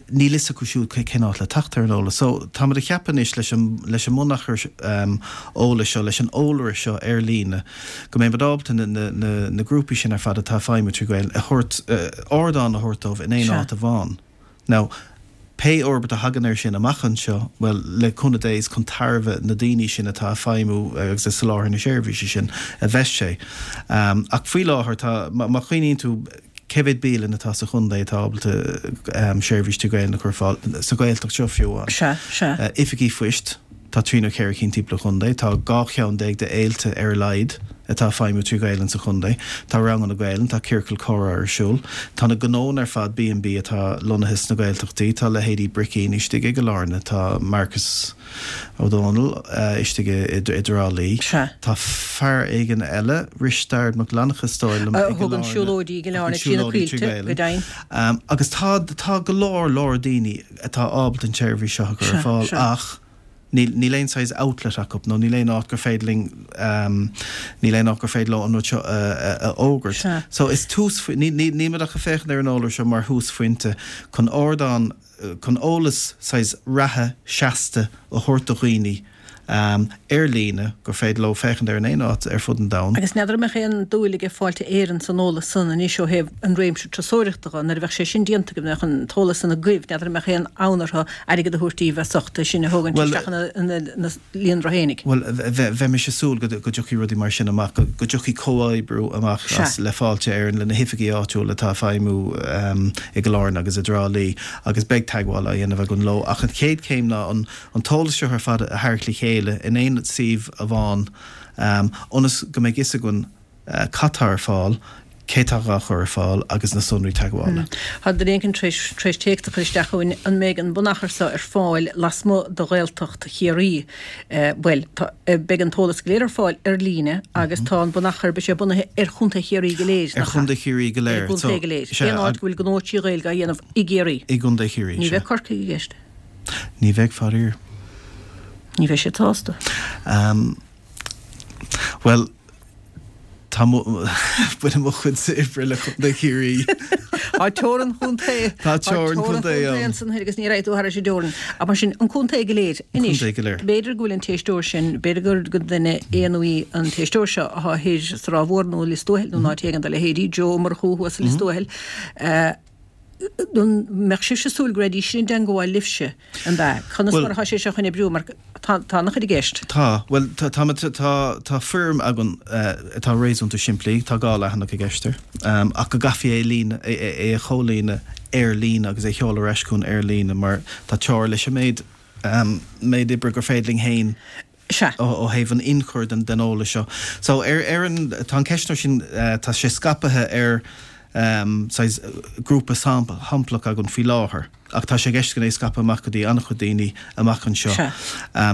níl fhios acu siúd cén áit le teacht ar an eolas. So, táimid ag ceapadh anois leis an, leis an mbunachar eolais seo, leis an eolaire seo ar líne, go mbeidh muid ábalta na, na, na, na grúpaí sin ar fad atá ag feidhmiú trí Ghaelainn a thabhairt, ardán a thabhairt dóibh in aon áit amháin. Now, pé fhorbairt a thagann air sin amach anseo, bhuel, le cúnamh Dé, is chun tairbhe na daoine sin atá ag feidhmiú agus ag soláthar na seirbhíse sin a bheas sé. Ach faoi láthair, tá, má chuimhníonn tú, Cé mhéad bialann atá sa chontae atá ábalta seirbhís trí Ghaelainn a chur ar fáil, sa Ghaeltacht seo fiú amháin? Sea, sea. Oifigí phoist, tá trí nó cheithre cinn timpeall an chontae. Tá 12 cheann de fhéilte ar a laghad atá ag feidhmiú trí Ghaelainn sa chontae. Tá ranganna Gaelainn, tá ciorcal comhrá ar siúl. Tá na gnónna ar fad B&B atá lonnaithe sna Gaeltachtaí. Tá leithéidí Bricín istigh i gCill Airne, tá Marcus. Ó Dónaill istigh i dTrá Lí. Sea. Tá fear éigin eile, Risteard Mac Fhlannchadha is dóigh liom, i A thugann siúlóidí i gCill Airne trí na coillte, go deimhin. Agus tá, tá go leor, leor daoine atá ábalta an tseirbhís seo a chur ar fáil ach níl, níl aon saghas outlet acu nó níl aon áit gur féidir linn, níl aon áit gur féidir leo an rud seo a fhógairt. So is tús, níl, níl muid ach ag féachaint ar an eolaire seo mar thúsphointe chun ardán, chun eolas saghas reatha seasta a thabhairt do dhaoine ar líne gur féidir leo féachaint air in aon áit ar fud an domhain. Agus n'fheadar an mbeadh aon dúil aige Fáilte Éireann san eolas san anois ó thaobh an réimse turasóireachta dho, nuair a bheadh sé sin déanta agaibh, mbeadh an t-eolas san agaibh, n'fheadar an mbeadh aon fhonn orthu airgead a thabhairt daoibh as ucht é sin a thógaint isteach ina líonra fhéinig. Bhuel, bheimis ag súil go dtiocfaidh rudaí mar sin amach, go dtiocfaidh comhoibriú amach as le Fáilte Éireann, le na hoifigí áitiúla atá ag feidhmiú i gCill Airne agus i dTrá Lí agus beidh teagmháil á dhéanamh againn leo. Ach an chéad chéim ná an t-eolas seo ar fad a tharraingt le chéile in aon suíomh amháin ionas go mbeidh fhios againn cad tá ar fáil, cé tá dhá chur ar fáil agus na sonraí teagmhála. Tá duine éigin tar éis téacs a chur isteach chugainn, an mbeidh an bunachar seo ar fáil lasmuigh de Ghaeltacht Chiarraí? Bhuel, tá, beidh an t-eolas go léir ar fáil ar líne agus tá an bunachar, beidh sé bunaithe ar Chontae Chiarraí go léir, nach ea? Ar Chontae Chiarraí go léir. Ar an gcontae go léir. Aon áit go bhfuil gnó trí Ghaeilge á dhéanamh i gCiarraí. I gContae Chiarraí, sea. Ní bheidh Corcaigh i gceist. Ní bheidh, faraor. Ní bheidh siad sásta. Bhuel, tá mo, baineann mo chuidse oibre le Contae Chiarraí. Tá teorainn chontae. Tá teorainn chontae ann. ansan thoir agus ní raghaidh tú thairis an dteorainn. Ach mar sin, an contae go léir. Anois, Contae go léir. b'fhéidir go bhfuil an t-éisteoir sin, b'fhéidir gur gur duine é nó í an t-éisteoir seo atá thoir sa Ráth Mhór nó i Lios Tuathail nó in áit éigin dá leithéidí, Joe Ó Murchú thuas i Lios Tuathail. An mbeadh sibhse ag súil go raghaidís sin i dteangmháil libhse, an ea? Conas mar atá sé seo chun oibriú mar. Tá an-chuid i gceist. Tá. Bhuel, tá, tá, tá foirm againn atá réasúnta simplí, tá 2 leathanach i gceist air, ach go gcaithfí é a líonadh, é a chomhlíonadh ar líne agus é a sheoladh ar ais chugainn ar líne mar tá teora leis an méid, méid oibre gur féidir linn féin Sea. ó thaobh an ionchuir den den eolas seo. So ar ar an, tá an ceistneoir sin, tá sé scaipthe ar saghas grúpa samplach againn faoi láthair. Ach tá sé i gceist againn é a scaipeadh amach go dtí an-chuid daoine amach anseo. Sea.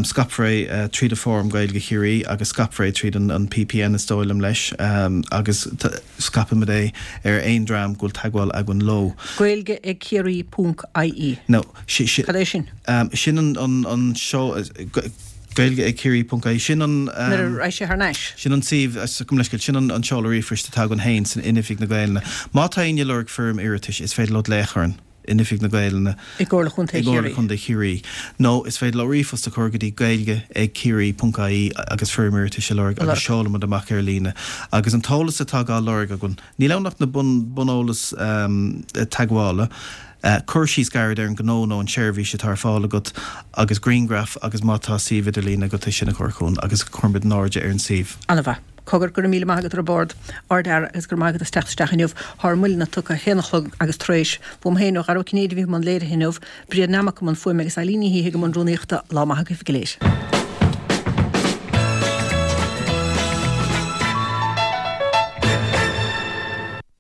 Scaipfear é tríd an Fóram Gaeilge Chiarraí agus scaipfear é tríd an PPN is dóigh liom leis agus scaipfimid é ar aon dream go bhfuil teagmháil againn leo. Gaeilge ag Ciarraí ponc IE. No, sin. Cad é sin? Sin an seo, Gaeilge ag Ciarraí ponc IE. Sin an. Nuair a raghaidh sé thar n-ais. Sin an suíomh, gabh mo leithscéal, sin an seoladh ríomhphoist atá againn féin san in Oifig na Gaelainne. Má tá éinne ag lorg foirm iarratais is féidir leo glaoch orainn. in Oifig na Gaelainne i gComhairle Chontae Chiarraí. Chontae Chiarraí. Nó is féidir leo ríomhphost a chur go dtí gaeilge ag ciarraí ponc ie agus foirm iarratais a lorg agus seolaimid amach ar líne. Agus an t-eolas atá dhá lorg againn, níl ann ach na bun buneolas teagmhála, cur síos gairid ar an ngnó nó an tseirbhís atá ar fáil agat agus grianghraf agus má tá suíomh idirlín agat é sin a chur chugainn agus cuirfimid in airde ar an suíomh. An-mhaith. Cogar, go raibh míle maith agat ar bord, Ard-Fhear, agus go raibh maith agat as teacht isteach inniu. Thár moilleanna tugtha, a haon a chlog agus tar éis. Uaim féin, ó Dhara Ó Cinnéide a bhí i mbun léirithe inniu, Bríd Nammock i mbun fuaime agus Eileen Ní hIthe i mbun rúnaíochta. Lá maith agaibh go léir.